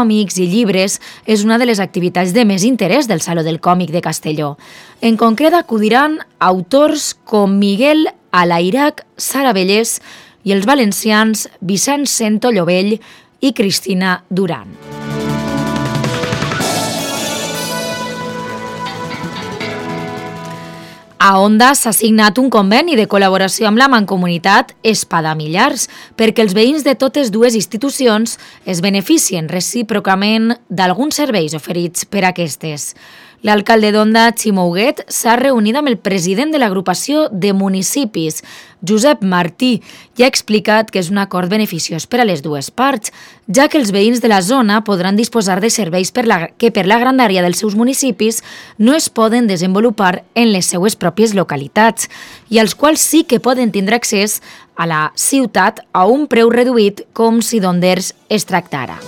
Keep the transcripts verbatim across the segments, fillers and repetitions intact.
còmics i llibres és una de les activitats de més interès del Saló del Còmic de Castelló. En concret, acudiran autors com Miguel Alairac, Sara Vellés i els valencians Vicent Sento Llovell i Cristina Duran. A Onda s'ha signat un conveni de col·laboració amb la Mancomunitat Espadamillars perquè els veïns de totes dues institucions es beneficien recíprocament d'alguns serveis oferits per aquestes. L'alcalde d'Onda, Ximo Huguet, s'ha reunit amb el president de l'agrupació de municipis, Josep Martí, i ha explicat que és un acord beneficiós per a les dues parts, ja que els veïns de la zona podran disposar de serveis per la, que per la grandària dels seus municipis no es poden desenvolupar en les seues pròpies localitats i als quals sí que poden tindre accés a la ciutat a un preu reduït com si d'Onders es tractara.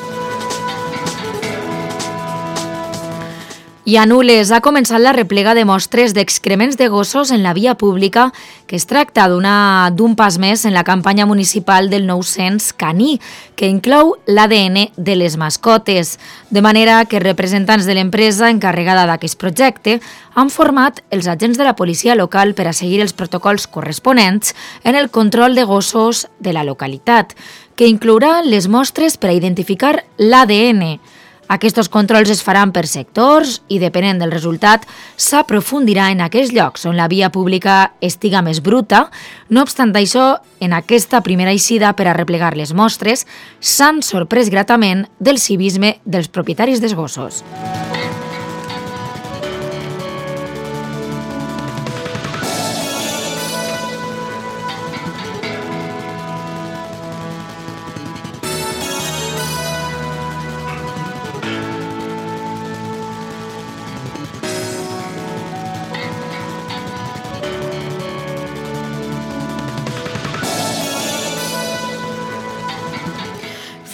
I a Nules ha començat la replega de mostres d'excrements de gossos en la via pública, que es tracta d'un pas més en la campanya municipal del nou-cents caní, que inclou l'A D N de les mascotes, de manera que representants de l'empresa encarregada d'aquest projecte han format els agents de la policia local per a seguir els protocols corresponents en el control de gossos de la localitat, que inclourà les mostres per a identificar l'A D N. Aquests controls es faran per sectors i, depenent del resultat, s'aprofundirà en aquells llocs on la via pública estiga més bruta. No obstant això, en aquesta primera eixida per a replegar les mostres, s'han sorprès gratament del civisme dels propietaris dels gossos.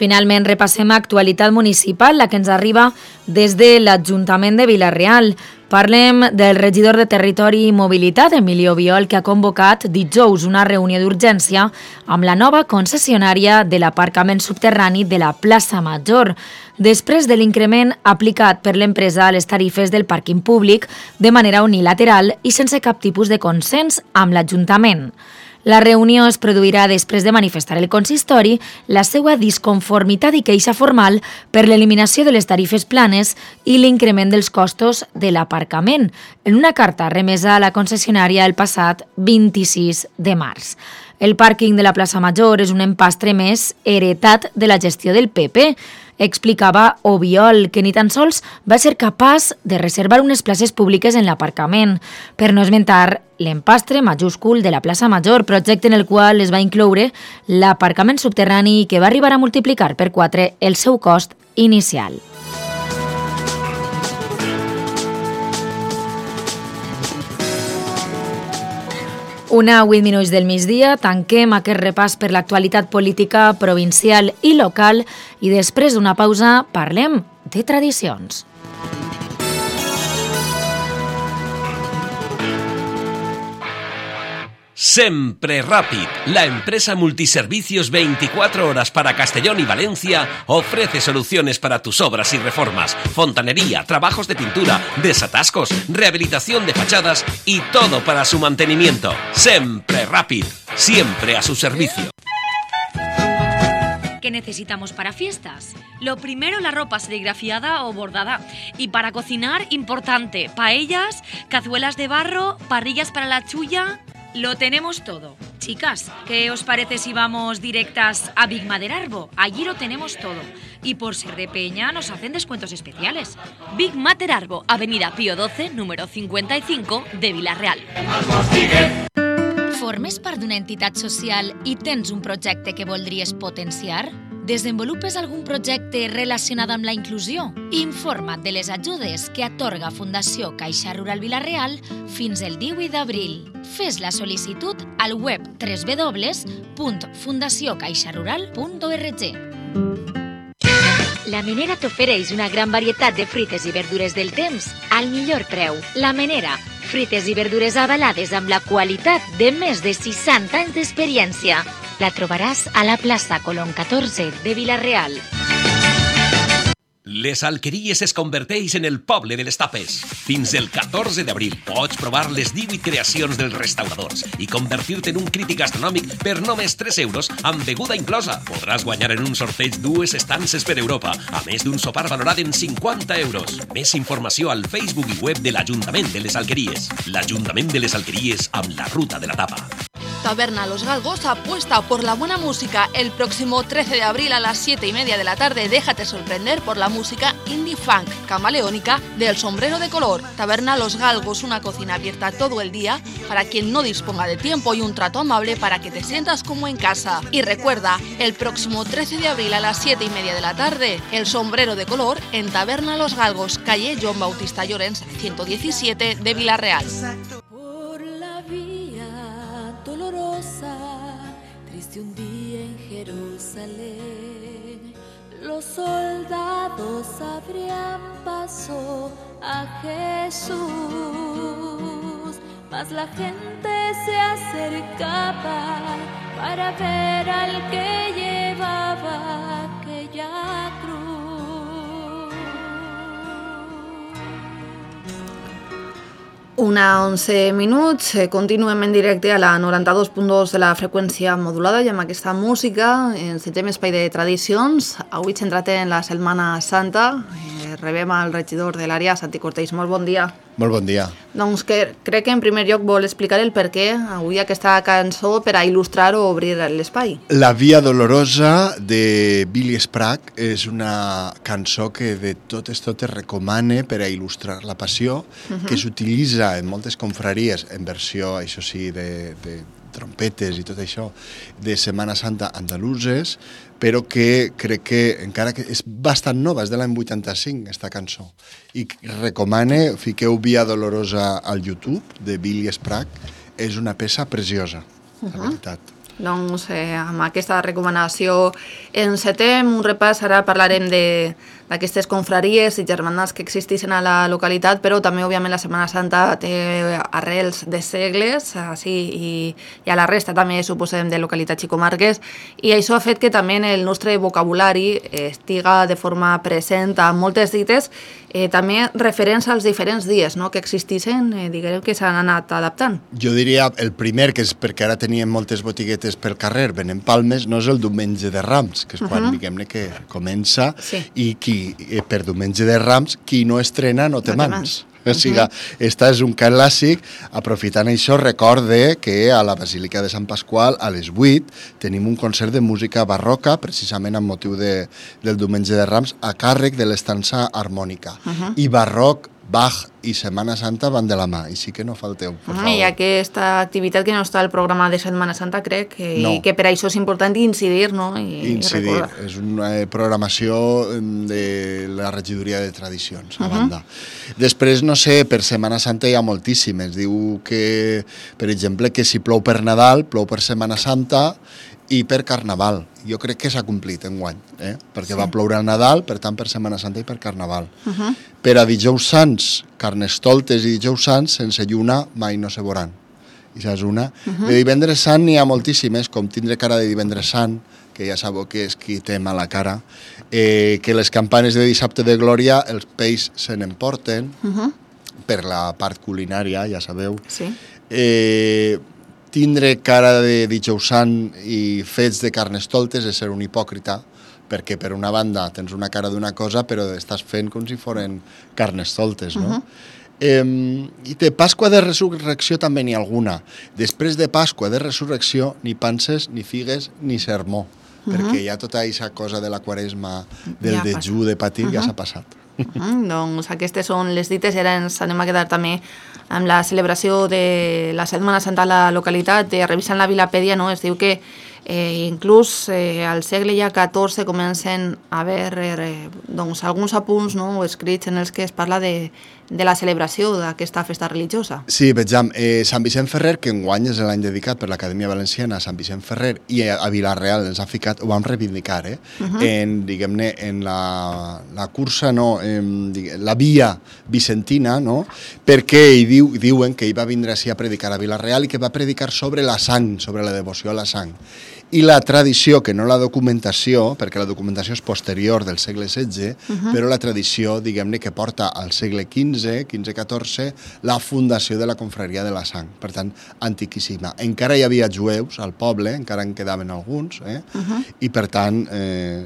Finalment, repassem actualitat municipal, la que ens arriba des de l'Ajuntament de Vila-real. Parlem del regidor de Territori i Mobilitat, Emilio Biol, que ha convocat dijous una reunió d'urgència amb la nova concessionària de l'aparcament subterrani de la plaça Major, després de l'increment aplicat per l'empresa a les tarifes del pàrquing públic de manera unilateral i sense cap tipus de consens amb l'Ajuntament. La reunió es produirà després de manifestar el consistori la seva disconformitat i queixa formal per l'eliminació de les tarifes planes i l'increment dels costos de l'aparcament, en una carta remesa a la concessionària el passat vint-i-sis de març. El pàrquing de la plaça Major és un empastre més heretat de la gestió del P P, explicava Obiol, que ni tan sols va ser capaç de reservar unes places públiques en l'aparcament, per no esmentar l'empastre majúscul de la plaça Major, projecte en el qual es va incloure l'aparcament subterrani que va arribar a multiplicar per quatre el seu cost inicial. Una a vuit minuts del migdia, tanquem aquest repàs per l'actualitat política provincial i local i després d'una pausa parlem de tradicions. Sempre Rápid, la empresa multiservicios veinticuatro horas para Castellón y Valencia, ofrece soluciones para tus obras y reformas, fontanería, trabajos de pintura, desatascos, rehabilitación de fachadas y todo para su mantenimiento. Sempre Rápid, siempre a su servicio. ¿Qué necesitamos para fiestas? Lo primero, la ropa serigrafiada o bordada. Y para cocinar, importante, paellas, cazuelas de barro, parrillas para la chulla. Lo tenemos todo. Chicas, ¿qué os parece si vamos directas a Big Materarbo? Allí lo tenemos todo. Y por ser de Peña nos hacen descuentos especiales. Big Materarbo, Avenida Pío doce, número cincuenta y cinco de Vila-real. Formes part d'una entitat social i tens un projecte que voldries potenciar? Desenvolupes algun projecte relacionat amb la inclusió? Informa't de les ajudes que atorga Fundació Caixa Rural Vila-real fins el divuit d'abril. Fes la sol·licitud al web w w w punt fundació caixa rural punt org. La Menera t'ofereix una gran varietat de fruites i verdures del temps al millor preu. La Menera, fruites i verdures avalades amb la qualitat de més de seixanta anys d'experiència. La trobaràs a la plaça Colón catorze de Vila-real. Les Alqueries es converteix en el poble de les tapes. Fins el catorze d'abril pots provar les divuit creacions dels restauradors i convertir-te en un crític gastronòmic per només tres euros amb beguda inclosa. Podràs guanyar en un sorteig dues estances per Europa, a més d'un sopar valorat en cinquanta euros. Més informació al Facebook i web de l'Ajuntament de les Alqueries. L'Ajuntament de les Alqueries amb la ruta de la tapa. Taberna Los Galgos apuesta por la buena música. El próximo trece de abril a las siete y media de la tarde déjate sorprender por la música indie funk camaleónica del Sombrero de Color. Taberna Los Galgos, una cocina abierta todo el día para quien no disponga de tiempo y un trato amable para que te sientas como en casa. Y recuerda, el próximo trece de abril a las siete y media de la tarde, el Sombrero de Color en Taberna Los Galgos, calle Joan Bautista Llorens, ciento diecisiete de Villarreal. Por la vía dolorosa, triste un día en Jerusalén, los soldados abrían paso a Jesús, mas la gente se acercaba para ver al que llevaba aquella cruz. Una onze minuts, continuem en directe a la noranta-dos punt dos de la freqüència modulada i amb aquesta música ens centrem espai de tradicions. Avui centrat en la Setmana Santa, eh, rebem al regidor de l'àrea, Santi Cortells. Molt bon dia. Molt bon dia. Doncs que, crec que en primer lloc vol explicar el per què avui aquesta cançó per a il·lustrar o obrir l'espai. La Via Dolorosa de Billy Sprague és una cançó que de totes totes recomane per a il·lustrar la passió, uh-huh. que s'utilitza en moltes confraries en versió, això sí, de, de trompetes i tot això, de Setmana Santa andaluses, però que crec que encara que és bastant nova, és de l'any vuitanta-cinc, aquesta cançó. I recomane, fiqueu Via Dolorosa al YouTube, de Billy Sprague, és una peça preciosa, uh-huh. la veritat. Doncs eh, amb aquesta recomanació encetem un repàs, ara parlarem de d'aquestes confraries i germanats que existeixen a la localitat, però també, òbviament, la Setmana Santa té arrels de segles, així, i, i a la resta també suposem de localitats i comarques, i això ha fet que també el nostre vocabulari estiga de forma present a moltes dites, eh, també referents als diferents dies no?, que existeixen, eh, diguem que s'han anat adaptant. Jo diria el primer, que és perquè ara teníem moltes botiguetes pel carrer, venent palmes, no és el diumenge de Rams, que és quan, uh-huh. diguem-ne, que comença, sí. i qui per diumenge de Rams, qui no estrena no té mans. O sigui, esta és un clàssic. Aprofitant això, recorde que a la Basílica de Sant Pasqual, a les vuit, tenim un concert de música barroca, precisament amb motiu de, del diumenge de Rams, a càrrec de l'estança harmònica. Uh-huh. I barroc, Bach i Setmana Santa van de la mà, i sí que no falteu, per favor. I aquesta activitat que no està al programa de Setmana Santa, crec que, no. que per això és important incidir, no? I, incidir, i és una programació de la regidoria de tradicions, a uh-huh. banda. Després, no sé, per Setmana Santa hi ha moltíssimes. Diu que, per exemple, que si plou per Nadal, plou per Setmana Santa, i per Carnaval. Jo crec que s'ha complit enguany, eh? perquè sí. va ploure al Nadal, per tant per Setmana Santa i per Carnaval. Uh-huh. Per a dijous sants, Carnestoltes i dijous sants, sense lluna mai no se veuran. I és una. Uh-huh. De divendres sant n'hi ha moltíssimes, com tindre cara de divendres sant, que ja sabeu que és qui té mala cara, eh, que les campanes de dissabte de Glòria, els peix se n'emporten, uh-huh. per la part culinària, ja sabeu. Sí. Eh, tindre cara de dijous sant i fets de Carnestoltes és ser un hipòcrita, perquè per una banda tens una cara d'una cosa, però estàs fent com si foren Carnestoltes, no? Uh-huh. eh, I de Pasqua de Resurrecció també n'hi ha alguna. Després de Pasqua de Resurrecció, ni panses, ni figues, ni sermó, uh-huh. perquè ja tota aquesta cosa de la Quaresma, del ja dejú, de patir, uh-huh. ja s'ha passat. Uh-huh. Doncs aquestes són les dites, i ara ens anem a quedar també amb la celebració de la Setmana Santa a la localitat. De revisant la Vilapèdia, no? Es diu que eh, inclús eh, al segle ja catorze comencen a haver eh, doncs, alguns apunts, no?, escrits en els que es parla de, de la celebració d'aquesta festa religiosa. Sí, vejam, eh, Sant Vicent Ferrer, que enguany és l'any dedicat per l'Acadèmia Valenciana a Sant Vicent Ferrer, i a, a Vila-real ens ha ficat, ho vam reivindicar, eh? Uh-huh. en, diguem-ne, en la, la cursa, no, en, diguem, la via vicentina, no?, perquè hi diu, diuen que hi va vindre així a predicar a Vila-real i que va predicar sobre la sang, sobre la devoció a la sang. i la tradició, que no la documentació, perquè la documentació és posterior del segle setze, uh-huh. però la tradició, diguem-ne, que porta al segle quinze, quinze catorze, la fundació de la confraria de la sang, per tant, antiquíssima. Encara hi havia jueus al poble, encara en quedaven alguns, eh? uh-huh. i per tant, eh,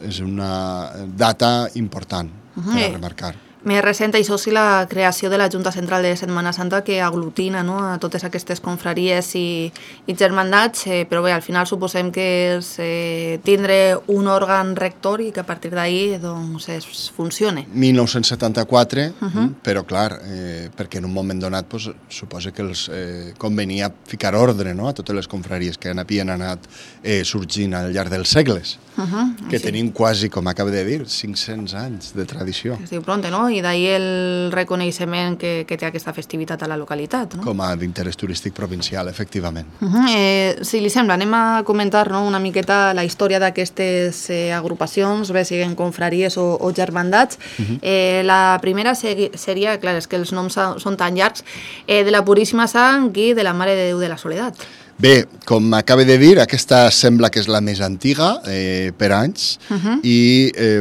és una data important uh-huh. per a remarcar. Més recent, això sí, la creació de la Junta Central de Setmana Santa que aglutina, no?, a totes aquestes confraries i, i germandats, eh, però bé, al final suposem que és eh, tindre un òrgan rector i que a partir d'ahir doncs, es funcione. mil nou-cents setanta-quatre, uh-huh. però clar, eh, perquè en un moment donat pues, suposa que els eh, convenia ficar ordre, no?, a totes les confraries que havien anat eh, sorgint al llarg dels segles, uh-huh. que sí. tenim quasi, com acaba de dir, cinc-cents anys de tradició. Es diu pronte, no?, i d'ahir el reconeixement que, que té aquesta festivitat a la localitat. No? Com a d'interès turístic provincial, efectivament. Uh-huh. eh, si li sembla, anem a comentar, no?, una miqueta la història d'aquestes eh, agrupacions, bé siguin confraries o, o germandats. Uh-huh. eh, la primera segui, seria, clar, és que els noms són tan llargs, eh, de la Puríssima Sang i de la Mare de Déu de la Soledat. Bé, com acaba de dir, aquesta sembla que és la més antiga eh, per anys uh-huh. i eh,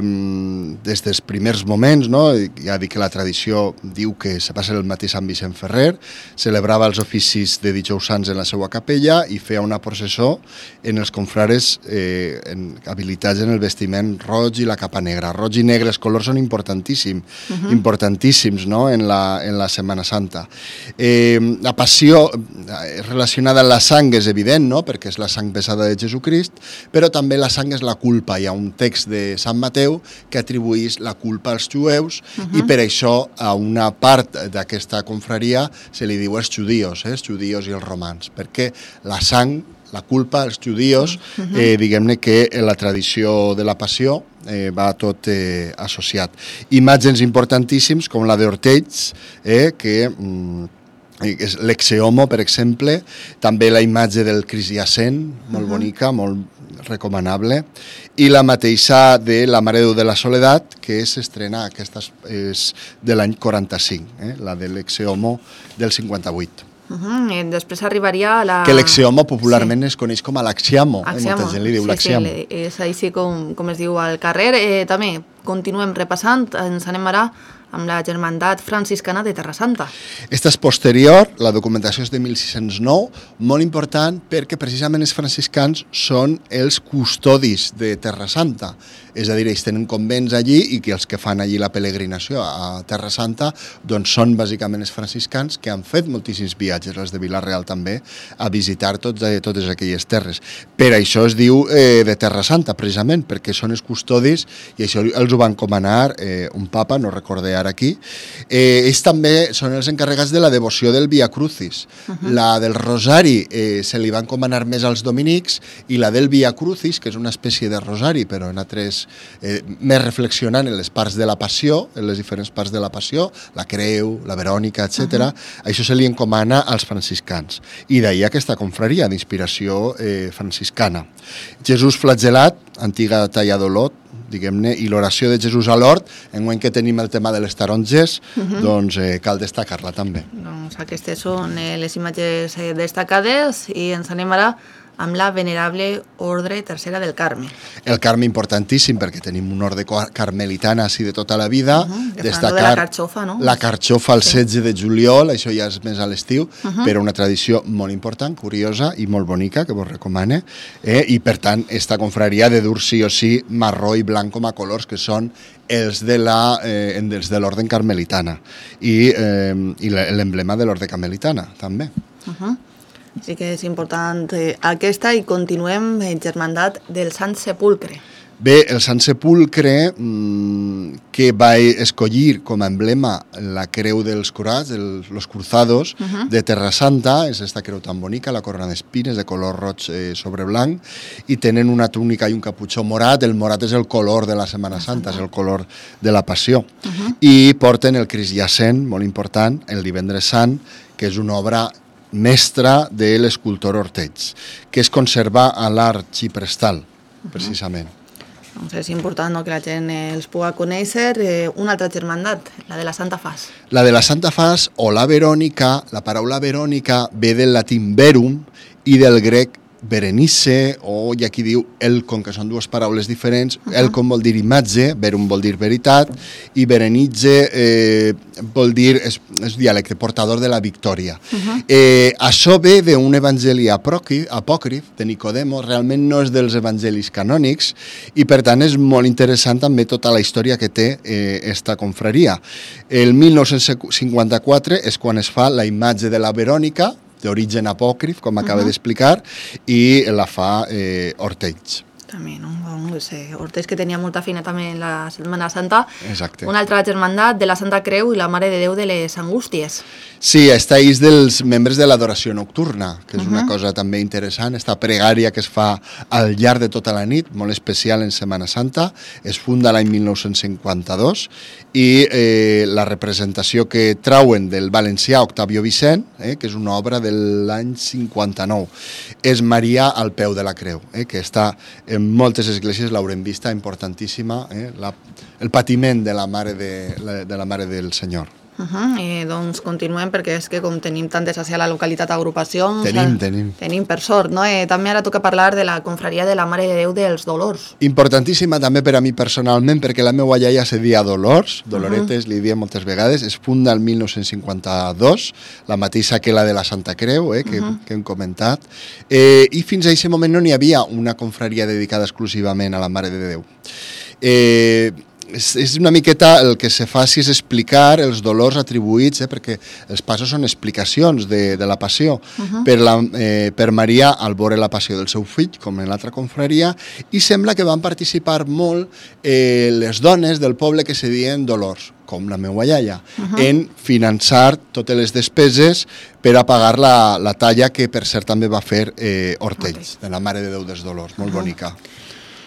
des dels primers moments, no, ja dic que la tradició diu que se va ser el mateix Sant Vicent Ferrer, celebrava els oficis de dijous sants en la seva capella i feia una processó en els confrares eh, en, habilitats en el vestiment roig i la capa negra. Roig i negre, els colors són importantíssims, uh-huh. importantíssims no? en, la, en la Setmana Santa. Eh, la passió relacionada amb la sang és evident, no?, perquè és la sang pesada de Jesucrist, però també la sang és la culpa. Hi ha un text de Sant Mateu que atribueix la culpa als jueus uh-huh. i per això a una part d'aquesta confraria se li diu els judíos, eh, els judíos i els romans, perquè la sang, la culpa, els judíos, uh-huh. eh, diguem-ne que en la tradició de la passió eh, va tot eh, associat. Imatges importantíssims com la d'Ortells, eh, que... Mm, l'exeomo, per exemple, també la imatge del Crisiacent, molt uh-huh. bonica, molt recomanable, i la mateixa de la Mare de Déu de la Soledat, que s'estrena, aquesta és de l'any quaranta-cinc, eh? la de l'exeomo del cinquanta-vuit. Uh-huh. I després arribaria a la... Que l'exeomo popularment sí. es coneix com a l'axiamo, eh? molta gent li diu sí, l'axiamo. Sí, és així com, com es diu al carrer. Eh, també continuem repassant, ens anem ara amb la Germandat Franciscana de Terra Santa. Esta és posterior, la documentació és de mil sis-cents nou, molt important perquè precisament els franciscans són els custodis de Terra Santa. És a dir, ells tenen convents allí i que els que fan allí la peregrinació a Terra Santa doncs són bàsicament els franciscans que han fet moltíssims viatges, els de Vila-real també, a visitar tots, eh, totes aquelles terres. Per això es diu eh, de Terra Santa, precisament, perquè són els custodis i això els ho van encomanar eh, un papa, no recordé ara aquí. Eh, ells també són els encarregats de la devoció del Via Crucis. Uh-huh. La del Rosari eh, se li va encomanar més als dominics i la del Via Crucis, que és una espècie de rosari, però en altres Eh, més reflexionant en les parts de la passió, en les diferents parts de la passió, la creu, la Verònica, etcètera. Uh-huh. Això se li encomana als franciscans. I d'ahir aquesta confraria d'inspiració eh, franciscana. Jesús flagelat, antiga talla d'Olot, diguem-ne, i l'oració de Jesús a l'hort, en moment que tenim el tema de les taronges, uh-huh. doncs eh, cal destacar-la també. Doncs aquestes són eh, les imatges eh, destacades i ens anem ara amb la venerable Ordre Tercera del Carme. El Carme importantíssim perquè tenim un ordre carmelitana així de tota la vida. Uh-huh. Destacar de la carxofa, no? La carxofa el sí. setze de juliol, això ja és més a l'estiu, uh-huh. però una tradició molt important, curiosa i molt bonica, que vos recomane, eh? I per tant, esta confraria de dur sí o sí marró i blanc com a colors, que són els de la, eh, els de l'ordre carmelitana i, eh, i l'emblema de l'ordre carmelitana, també. Uh-huh. Sí que és important eh, aquesta i continuem en Germandat del Sant Sepulcre. Bé, el Sant Sepulcre, mmm, que va escollir com a emblema la creu dels curats, els los cruzados uh-huh. de Terra Santa, és esta creu tan bonica, la corona d'espines de color roig eh, sobre blanc, i tenen una túnica i un caputxó morat. El morat és el color de la Setmana Santa, és el color de la Passió. Uh-huh. I porten el Crisiacent, molt important, el Divendres Sant, que és una obra mestra de l'escultor Ortells, que es conserva a l'Arxiprestal, uh-huh. precisament. Doncs és important, no?, que la gent els pugui conèixer. Eh, una altra germandat, la de la Santa Fas. La de la Santa Fas o la Verònica, la paraula Verònica ve del latín verum i del grec Berenice, o hi ha qui diu Elcon, que són dues paraules diferents. Uh -huh. Elcon vol dir imatge, verum vol dir veritat, i Berenice eh, vol dir, és, és dialecte, portador de la victòria. Uh -huh. eh, això ve d'un evangeli apòcrif de Nicodemo, realment no és dels evangelis canònics, i per tant és molt interessant també tota la història que té eh, esta confraria. El mil nou-cents cinquanta-quatre és quan es fa la imatge de la Verònica, d'origen apòcrif, com acaba uh-huh. d'explicar, i la fa eh, Ortells. També, no? No sé, Ortells, que tenia molta feina també en la Setmana Santa. Exacte. Una altra germandat de la Santa Creu i la Mare de Déu de les Angústies. Sí, esta és dels membres de l'adoració nocturna, que és uh-huh. una cosa també interessant, esta pregària que es fa al llarg de tota la nit, molt especial en Setmana Santa, es funda l'any mil nou-cents cinquanta-dos, i eh, la representació que trauen del valencià Octavio Vicent, eh, que és una obra de l'any cinquanta-nou, és Maria al peu de la creu, eh, que està en moltes esglésies, l'haurem vista, importantíssima, eh, la, el patiment de la mare, de, la, de la mare del Senyor. Uh -huh. eh, doncs continuem, perquè és que com tenim tantes a la localitat agrupacions, tenim, eh, tenim. tenim per sort, no? Eh, també ara toca parlar de la confraria de la Mare de Déu dels Dolors. Importantíssima també per a mi personalment, perquè la meva iaia se dia Dolors, Doloretes, uh -huh. li dia moltes vegades, es funda el mil nou-cents cinquanta-dos, la mateixa que la de la Santa Creu, eh, que, uh -huh. que hem comentat, eh, i fins a aquest moment no n'hi havia una confraria dedicada exclusivament a la Mare de Déu. Eh... És, és una miqueta el que se faci és explicar els dolors atribuïts, eh, perquè els passos són explicacions de, de la passió, uh-huh. per, la, eh, per Maria al veure la passió del seu fill, com en l'altra confraria, i sembla que van participar molt eh, les dones del poble que se diuen Dolors, com la meva iaia, uh-huh. en finançar totes les despeses per a pagar la, la talla que per cert també va fer eh, Ortells, okay. de la Mare de Déu dels Dolors, molt uh-huh. bonica.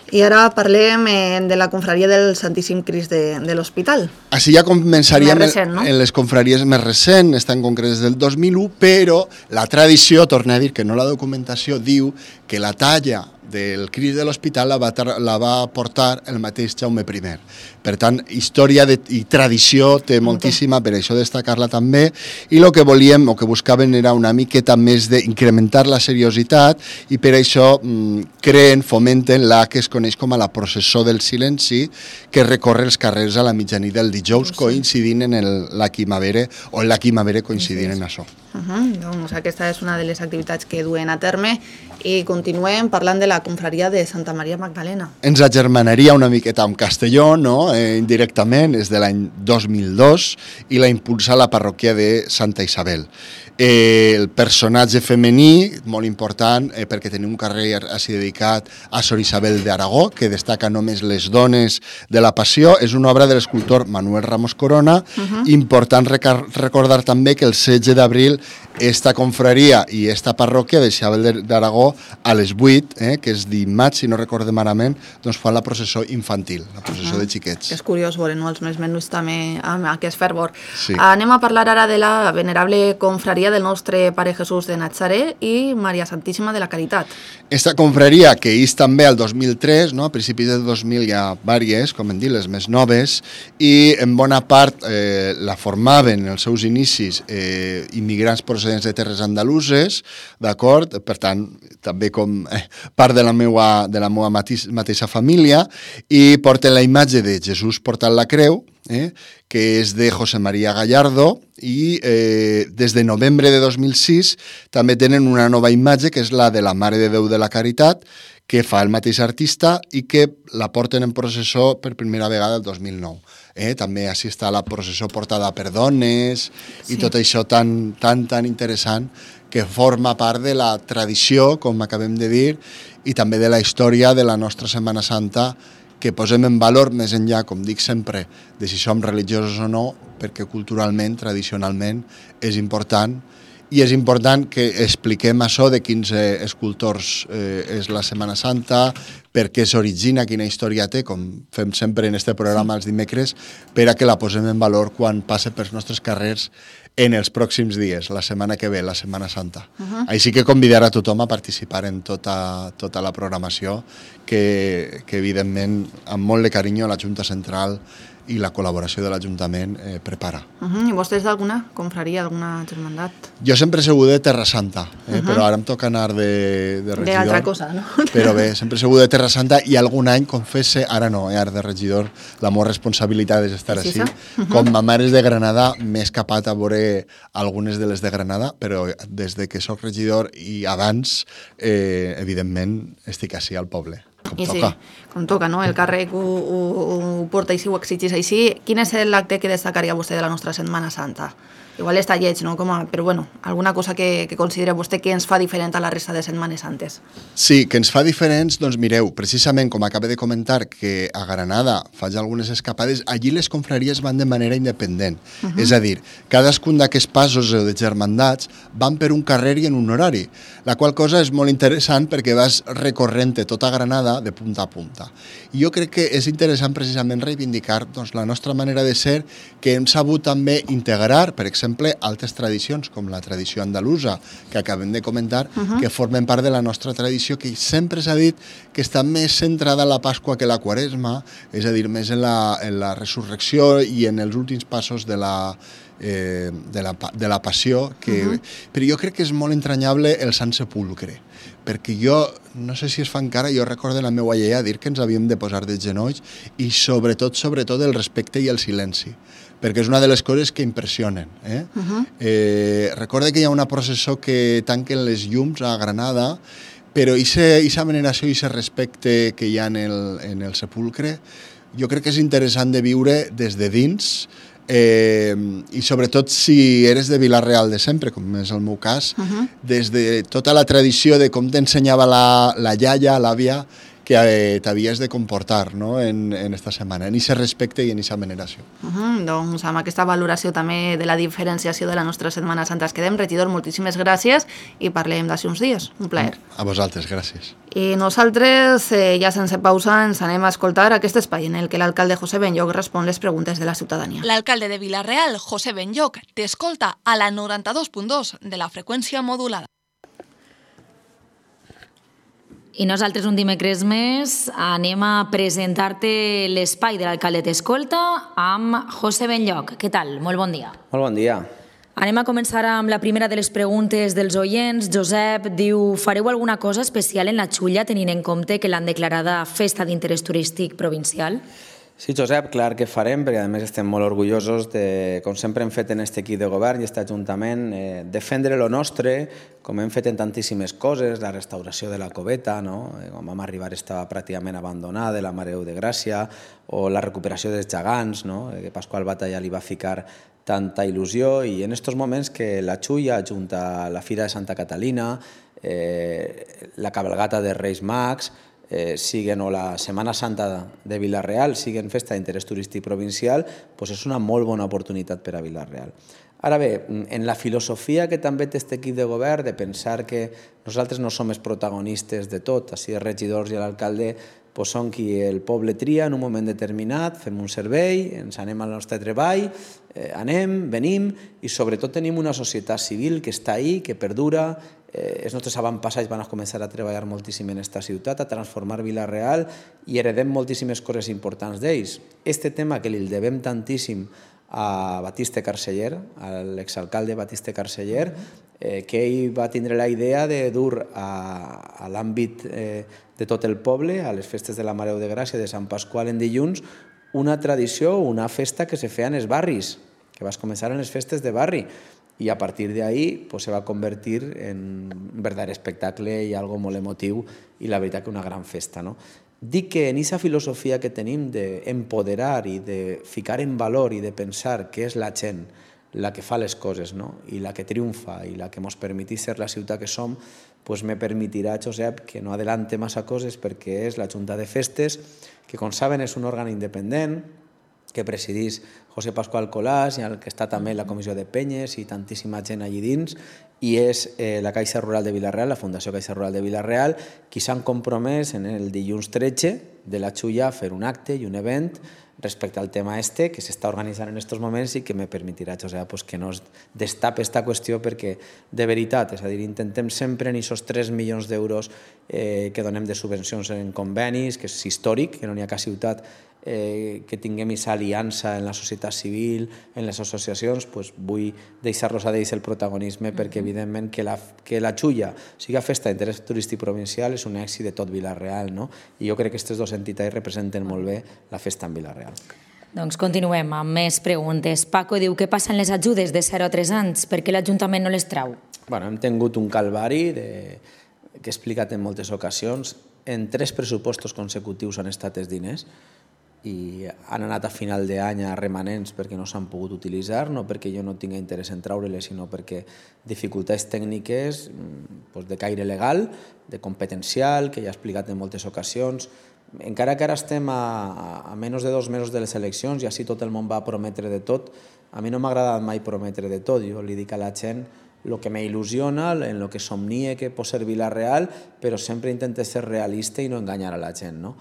I ara parlem eh, de la confraria del Santíssim Crist de, de l'Hospital. Així ja començaríem recent, no? en les confraries més recents, estan concretes del dos mil u, però la tradició, torna a dir que no la documentació, diu que la talla del Crist de l'Hospital la va, la va portar el mateix Jaume primer. Per tant, història de, i tradició té moltíssima, per això destacar-la també, i el que volíem, o que buscaven era una miqueta més d'incrementar la seriositat, i per això mm, creen, fomenten la que es coneix com a la processó del silenci, que recorre els carrers a la mitjanit del dijous, coincidint en el, la quimavere, o en la quimavere coincidint en això. Uh -huh. Doncs aquesta és una de les activitats que duen a terme, i continuem parlant de la confraria de Santa Maria Magdalena. Ens agermanaria una miqueta amb Castelló, no? eh, indirectament, és de l'any dos mil dos, i la impulsa la parròquia de Santa Isabel. Eh, el personatge femení, molt important, eh, perquè tenim un carrer així dedicat a Sor Isabel d'Aragó, que destaca només les dones de la Passió, és una obra de l'escultor Manuel Ramos Corona. Uh-huh. Important recordar també que el setze d'abril esta confraria i esta parròquia de Isabel d'Aragó a les vuit, eh, que és dimarts, si no recorde malament, doncs fan la processó infantil, la processó uh-huh. de xiquets. Que és curiós veure, no? Els més menuts també amb aquest fervor. Sí. Anem a parlar ara de la venerable confraria del nostre Pare Jesús de Natzaret i Maria Santíssima de la Caritat. Esta confraria, que és també al dos mil tres, no? A principis del dos mil hi ha diverses, com hem dit, les més noves, i en bona part eh, la formaven en els seus inicis eh, immigrants procedents de terres andaluses, d'acord? Per tant, també com eh, part de la meva, de la meva mateix, mateixa família, i porten la imatge de Jesús portant la creu, eh, que és de José María Gallardo, i eh, des de novembre de dos mil sis també tenen una nova imatge, que és la de la Mare de Déu de la Caritat, que fa el mateix artista i que la porten en processó per primera vegada el dos mil nou. Eh, també així està la processó portada per dones, sí. I tot això tan, tan, tan interessant, que forma part de la tradició, com acabem de dir, i també de la història de la nostra Setmana Santa, que posem en valor més enllà, com dic sempre, de si som religiosos o no, perquè culturalment, tradicionalment, és important, i és important que expliquem això de quins eh, escultors eh, és la Setmana Santa, per què s'origina, quina història té, com fem sempre en este programa els dimecres, per a que la posem en valor quan passe pels nostres carrers en els pròxims dies, la setmana que ve, la Setmana Santa. Uh-huh. Així que convidar a tothom a participar en tota, tota la programació, que, que evidentment, amb molt de carinyo, la Junta Central i la col·laboració de l'Ajuntament eh, prepara. Uh -huh. I vostès d'alguna confraria, alguna germandat? Jo sempre he sigut de Terra Santa, eh? uh -huh. però ara em toca anar de, de regidor. D'altra cosa, no? Però bé, sempre he sigut de Terra Santa i algun any, confesse, ara no, eh? ara de regidor, la meva responsabilitat és estar així. Uh -huh. Com ma mare és de Granada, m'he escapat a veure algunes de les de Granada, però des de que sóc regidor i abans, eh, evidentment, estic així al poble. Com I toca. Sí, com toca, no? El càrrec ho, ho, ho porta així, ho exigís així. Quin és l'acte que destacaria vostè de la nostra Setmana Santa? Igual està lleig, no? Com a, però bueno, alguna cosa que, que considera vostè que ens fa diferent a la resta de Setmanes Santes? Sí, que ens fa diferents, doncs mireu, precisament com acaba de comentar que a Granada faig algunes escapades, allí les confraries van de manera independent. Uh -huh. És a dir, cadascun d'aquests passos de germandats van per un carrer i en un horari, la qual cosa és molt interessant perquè vas recorrent tota Granada de punta a punta. I jo crec que és interessant precisament reivindicar doncs, la nostra manera de ser, que hem sabut també integrar, per exemple, altres tradicions, com la tradició andalusa, que acabem de comentar, uh -huh. que formen part de la nostra tradició, que sempre s'ha dit que està més centrada en la Pasqua que la Quaresma, és a dir, més en la, en la resurrecció i en els últims passos de la, eh, de la, de la passió, que, uh -huh. però jo crec que és molt entranyable el Sant Sepulcre, perquè jo, no sé si es fa encara, jo recordo la meva iaia dir que ens havíem de posar de genolls i sobretot, sobretot el respecte i el silenci, perquè és una de les coses que impressionen. Eh? Uh -huh. eh, recorda que hi ha una processó que tanquen les llums a Granada, però aquesta veneració i aquest respecte que hi ha en el, en el sepulcre, jo crec que és interessant de viure des de dins, eh, i sobretot si eres de Vila-real de sempre, com és el meu cas, uh -huh. des de tota la tradició de com t'ensenyava la, la iaia, l'àvia, que eh, t'havies de comportar, no?, en, en esta setmana, en aquest respecte i en aquesta veneració. Uh -huh, doncs amb aquesta valoració també de la diferenciació de la nostra Setmana Santa es quedem. Regidor, moltíssimes gràcies i parlem d'ací uns dies. Un plaer. A vosaltres, gràcies. I nosaltres, eh, ja sense pausa, ens anem a escoltar aquest espai en el que l'alcalde José Benlloch respon les preguntes de la ciutadania. L'alcalde de Vila-real, José Benlloch, t'escolta a la noranta-dos punt dos de la freqüència modulada. I nosaltres un dimecres més anem a presentar-te l'espai de l'alcalde t'escolta amb José Benlloch. Què tal? Molt bon dia. Molt bon dia. Anem a començar amb la primera de les preguntes dels oients. Josep diu, fareu alguna cosa especial en la Xulla tenint en compte que l'han declarada festa d'interès turístic provincial? Sí, Josep, clar que farem, perquè a més estem molt orgullosos de, com sempre hem fet en aquest equip de govern i aquest Ajuntament, eh, defendre lo nostre, com hem fet en tantíssimes coses, la restauració de la coveta, no? Quan vam arribar estava pràcticament abandonada, la Mare de Gràcia, o la recuperació dels gegants, no? Que Pasqual Batalla li va ficar tanta il·lusió, i en aquests moments que la Xulla, junt a la Fira de Santa Catalina, eh, la cabalgata de Reis Mags, Eh, siguen, o la Setmana Santa de Vila-real, siguen festa d'interès turístic provincial, doncs és una molt bona oportunitat per a Vila-real. Ara bé, en la filosofia que també té aquest equip de govern, de pensar que nosaltres no som els protagonistes de tot, així els regidors i l'alcalde doncs són qui el poble tria en un moment determinat, fem un servei, ens anem al nostre treball, eh, anem, venim, i sobretot tenim una societat civil que està ahí, que perdura. Eh, els nostres avantpassats van a començar a treballar moltíssim en aquesta ciutat, a transformar Vila-real, i heredem moltíssimes coses importants d'ells. Este tema que li devem tantíssim a Batiste Carceller, a l'exalcalde Batiste Carceller, eh, que ell va tindre la idea de dur a, a l'àmbit eh, de tot el poble, a les festes de la Mare de Gràcia, de Sant Pasqual en dilluns, una tradició, una festa que se feia en els barris, que va començar en les festes de barri, i a partir d'ahí pues, se va convertir en un verdadero espectacle i algo molt emotiu, i la veritat que una gran festa, no? Dic que en aquesta filosofia que tenim d'empoderar i de ficar en valor i de pensar que és la gent la que fa les coses, no? I la que triomfa i la que ens permetís ser la ciutat que som, pues me permetirà, Josep, que no adelante massa coses, perquè és la Junta de Festes, que com saben és un òrgan independent, que presidís José Pascual Colàs, i el que està també la Comissió de Penyes i tantíssima gent allí dins, i és eh, la Caixa Rural de Vila-real, la Fundació Caixa Rural de Vila-real, qui s'han compromès en el dilluns tretze de la Xulla a fer un acte i un event respecte al tema este, que s'està organitzant en aquests moments i que me permetirà, Josep, pues, que no es destape aquesta qüestió, perquè de veritat, és a dir, intentem sempre en aquests tres milions d'euros eh, que donem de subvencions en convenis, que és històric, que no n'hi ha cap ciutat eh, que tinguem aquesta aliança en la societat civil, en les associacions, pues, vull deixar-los a ells el protagonisme perquè, evidentment, que la, que la Xulla siga festa d'interès turístic provincial és un èxit de tot Vila-real, no? I jo crec que aquestes dues entitats representen molt bé la festa en Vila-real. Doncs continuem amb més preguntes. Paco diu, què passa amb les ajudes de zero a tres anys? Per què l'Ajuntament no les trau? Bueno, hem tingut un calvari de... que he explicat en moltes ocasions. En tres pressupostos consecutius han estat els diners i han anat a final d'any a remanents perquè no s'han pogut utilitzar, no perquè jo no tinga interès en traure-les, sinó perquè dificultats tècniques doncs, de caire legal, de competencial, que ja he explicat en moltes ocasions. Encara que ara estem a, a menys de dos mesos de les eleccions i així tot el món va prometre de tot, a mi no m'ha agradat mai prometre de tot. Jo li dic a la gent el que m'il·lusiona, en el que somnie que pot ser Vila-real, però sempre intento ser realista i no enganyar a la gent, no?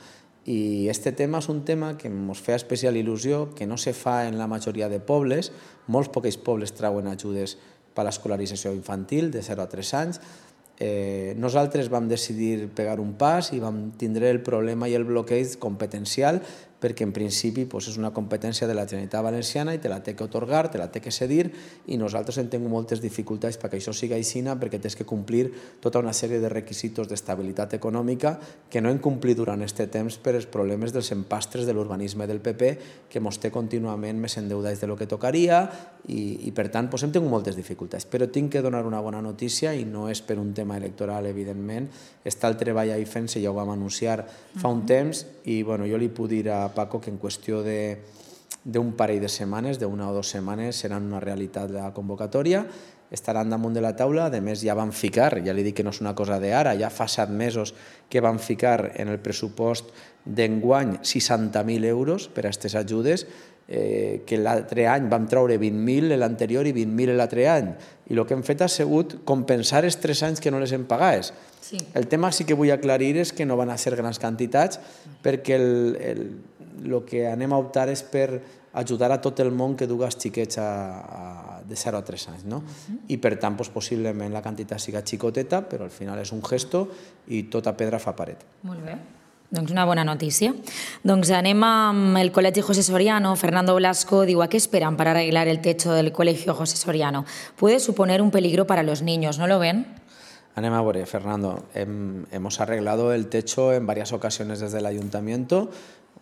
I este tema és un tema que ens fa especial il·lusió, que no se fa en la majoria de pobles. Molts pocs pobles trauen ajudes per a l'escolarització infantil de zero a tres anys. Eh, nosaltres vam decidir pegar un pas i vam tindre el problema i el bloqueig competencial perquè en principi pues, és una competència de la Generalitat Valenciana i te la té que atorgar, te la té que cedir i nosaltres hem tingut moltes dificultats perquè això siga així perquè tens que complir tota una sèrie de requisits d'estabilitat econòmica que no hem complit durant aquest temps per els problemes dels empastres de l'urbanisme del P P que mos té contínuament més endeudats de lo que tocaria i, i per tant pues, hem tingut moltes dificultats. Però tinc que donar una bona notícia i no és per un tema electoral, evidentment. Està el treball ahí fent-se, ja ho vam anunciar fa un temps i bueno, jo li puc dir a Paco que en qüestió d'un parell de setmanes, d'una o dues setmanes, seran una realitat la convocatòria, estaran damunt de la taula. A més, ja van ficar, ja li dic que no és una cosa d'ara, ja fa set mesos que van ficar en el pressupost d'enguany seixanta mil euros per a aquestes ajudes, eh, que l'altre any vam treure vint mil l'anterior i vint mil l'altre any, i el que hem fet ha sigut compensar els tres anys que no les hem pagades. Sí. El tema sí que vull aclarir és que no van a ser grans quantitats perquè el, el, el que anem a optar és per ajudar a tot el món que duga els xiquets a, a, de zero a tres anys. No? Uh-huh. I per tant, doncs, possiblement la quantitat siga xicoteta, però al final és un gesto i tota pedra fa paret. Molt bé. Doncs una bona notícia. Doncs anem amb el Col·legi José Soriano. Fernando Blasco diu, ¿a qué esperan para arreglar el techo del Colegio José Soriano? Puede suponer un peligro para los niños, ¿no lo ven? Anem a ver, Fernando. Hem, hemos arreglado el techo en varias ocasiones desde el ayuntamiento,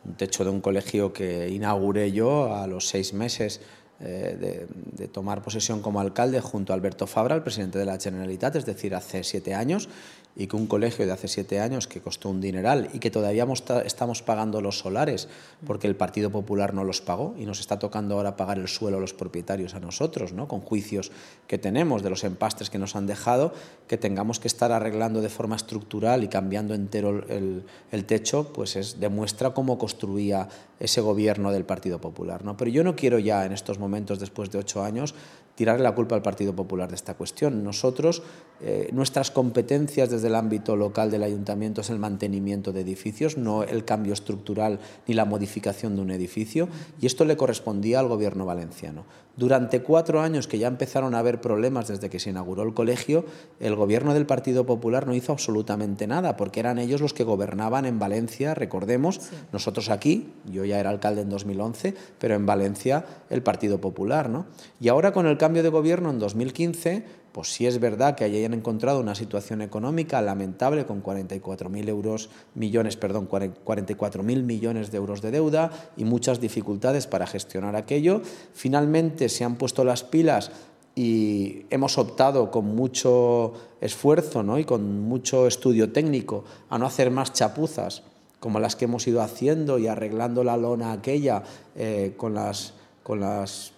un techo de un colegio que inauguré yo a los seis meses eh, de, de tomar posesión como alcalde junto a Alberto Fabra, el presidente de la Generalitat, es decir, hace siete años, y que un colegio de hace siete años que costó un dineral y que todavía estamos pagando los solares porque el Partido Popular no los pagó y nos está tocando ahora pagar el suelo a los propietarios a nosotros, ¿no? Con juicios que tenemos de los empastres que nos han dejado, que tengamos que estar arreglando de forma estructural y cambiando entero el, el techo, pues es, demuestra cómo construía ese gobierno del Partido Popular, ¿no? Pero yo no quiero ya en estos momentos, después de ocho años, tirarle la culpa al Partido Popular de esta cuestión. Nosotros, eh, nuestras competencias desde el ámbito local del ayuntamiento es el mantenimiento de edificios, no el cambio estructural ni la modificación de un edificio, y esto le correspondía al gobierno valenciano. Durante cuatro años que ya empezaron a haber problemas desde que se inauguró el colegio, el gobierno del Partido Popular no hizo absolutamente nada, porque eran ellos los que gobernaban en Valencia, recordemos, sí. Nosotros aquí, yo ya era alcalde en dos mil once, pero en Valencia el Partido Popular, ¿no? Y ahora con el cambio de gobierno en dos mil quince, pues sí es verdad que hayan encontrado una situación económica lamentable con cuarenta y cuatro mil euros, millones, perdón, cuarenta y cuatro mil millones de euros de deuda y muchas dificultades para gestionar aquello. Finalmente se han puesto las pilas y hemos optado con mucho esfuerzo, ¿no? Y con mucho estudio técnico a no hacer más chapuzas como las que hemos ido haciendo y arreglando la lona aquella eh, con las, con las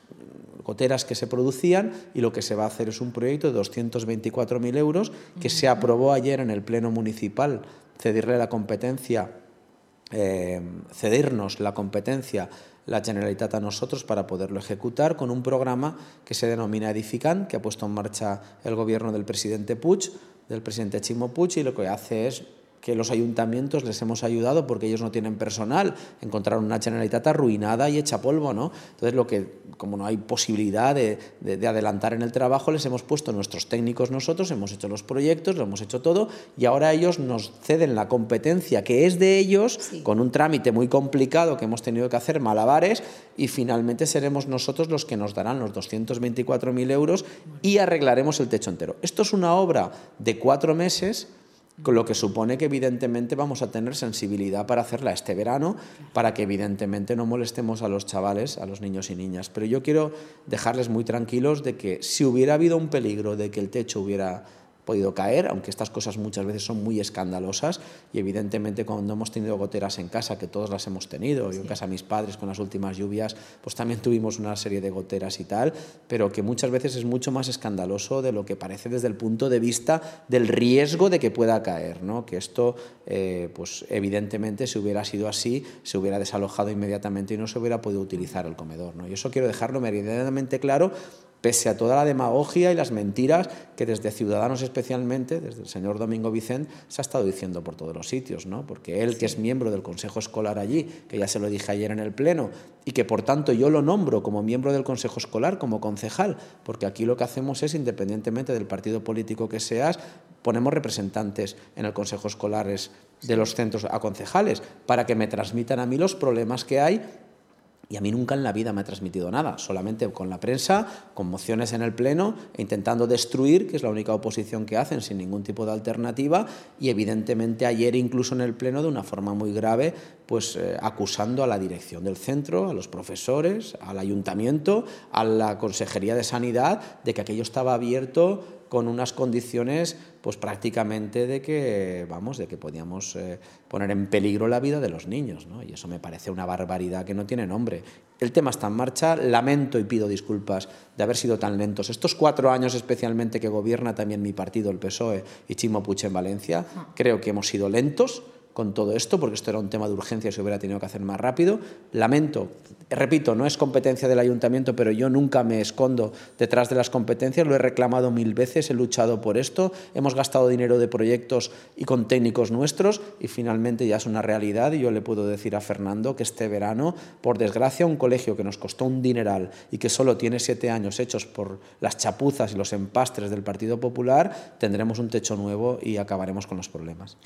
goteras que se producían, y lo que se va a hacer es un proyecto de doscientos veinticuatro mil euros que se aprobó ayer en el Pleno Municipal, cedirle la competencia, eh, cedirnos la competencia la Generalitat a nosotros para poderlo ejecutar con un programa que se denomina Edificant, que ha puesto en marcha el gobierno del presidente Puig, del presidente Ximo Puig, y lo que hace es que los ayuntamientos les hemos ayudado porque ellos no tienen personal, encontraron una Generalitat arruinada y hecha polvo, ¿no? Entonces lo que como no hay posibilidad de, de, de adelantar en el trabajo, les hemos puesto nuestros técnicos nosotros, hemos hecho los proyectos, lo hemos hecho todo y ahora ellos nos ceden la competencia que es de ellos, sí, con un trámite muy complicado que hemos tenido que hacer malabares y finalmente seremos nosotros los que nos darán los doscientos veinticuatro mil euros y arreglaremos el techo entero. Esto es una obra de cuatro meses, con lo que supone que evidentemente vamos a tener sensibilidad para hacerla este verano, para que evidentemente no molestemos a los chavales, a los niños y niñas. Pero yo quiero dejarles muy tranquilos de que si hubiera habido un peligro de que el techo hubiera podido caer, aunque estas cosas muchas veces son muy escandalosas y evidentemente cuando hemos tenido goteras en casa, que todos las hemos tenido, yo en casa de mis padres con las últimas lluvias, pues también tuvimos una serie de goteras y tal, pero que muchas veces es mucho más escandaloso de lo que parece desde el punto de vista del riesgo de que pueda caer, ¿no? Que esto, eh, pues evidentemente si hubiera sido así, se hubiera desalojado inmediatamente y no se hubiera podido utilizar el comedor, ¿no? Y eso quiero dejarlo meridianamente claro, pese a toda la demagogia y las mentiras que desde Ciudadanos especialmente, desde el señor Domingo Vicent, se ha estado diciendo por todos los sitios, ¿no? Porque él, que es miembro del Consejo Escolar allí, que ya se lo dije ayer en el Pleno, y que por tanto yo lo nombro como miembro del Consejo Escolar, como concejal, porque aquí lo que hacemos es, independientemente del partido político que seas, ponemos representantes en el Consejo Escolar de los centros a concejales, para que me transmitan a mí los problemas que hay. Y a mí nunca en la vida me ha transmitido nada, solamente con la prensa, con mociones en el Pleno, e intentando destruir, que es la única oposición que hacen, sin ningún tipo de alternativa, y evidentemente ayer incluso en el Pleno de una forma muy grave, pues eh, acusando a la dirección del centro, a los profesores, al ayuntamiento, a la Consejería de Sanidad, de que aquello estaba abierto con unas condiciones pues prácticamente de que, vamos, de que podíamos eh, poner en peligro la vida de los niños, ¿no? Y eso me parece una barbaridad que no tiene nombre. El tema está en marcha, lamento y pido disculpas de haber sido tan lentos. Estos cuatro años especialmente que gobierna también mi partido, el P S O E, y Chimo Puig en Valencia, creo que hemos sido lentos con todo esto, porque esto era un tema de urgencia y se hubiera tenido que hacer más rápido. Lamento, repito, no es competencia del ayuntamiento, pero yo nunca me escondo detrás de las competencias, lo he reclamado mil veces, he luchado por esto, hemos gastado dinero de proyectos y con técnicos nuestros y finalmente ya es una realidad y yo le puedo decir a Fernando que este verano, por desgracia, un colegio que nos costó un dineral y que solo tiene siete años hechos por las chapuzas y los empastres del Partido Popular, tendremos un techo nuevo y acabaremos con los problemas.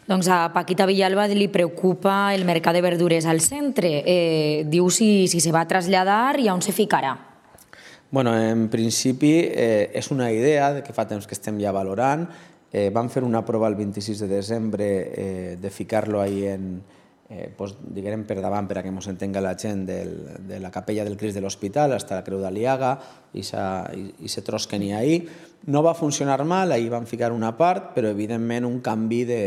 Doncs a Paquita Villalba li preocupa el mercat de verdures al centre. Eh, diu si, si se va a traslladar i on se ficarà. Bueno, en principi eh, és una idea que fa temps que estem ja valorant. Eh, vam fer una prova el vint-i-sis de desembre eh, de ficar-lo ahí en, eh, pues, diguem per davant, per a que ens entenga la gent, del, de la capella del Crist de l'Hospital fins a la Creu d'Aliaga i se tros que n'hi ha ahí. No va funcionar mal, ahí vam ficar una part, però evidentment un canvi de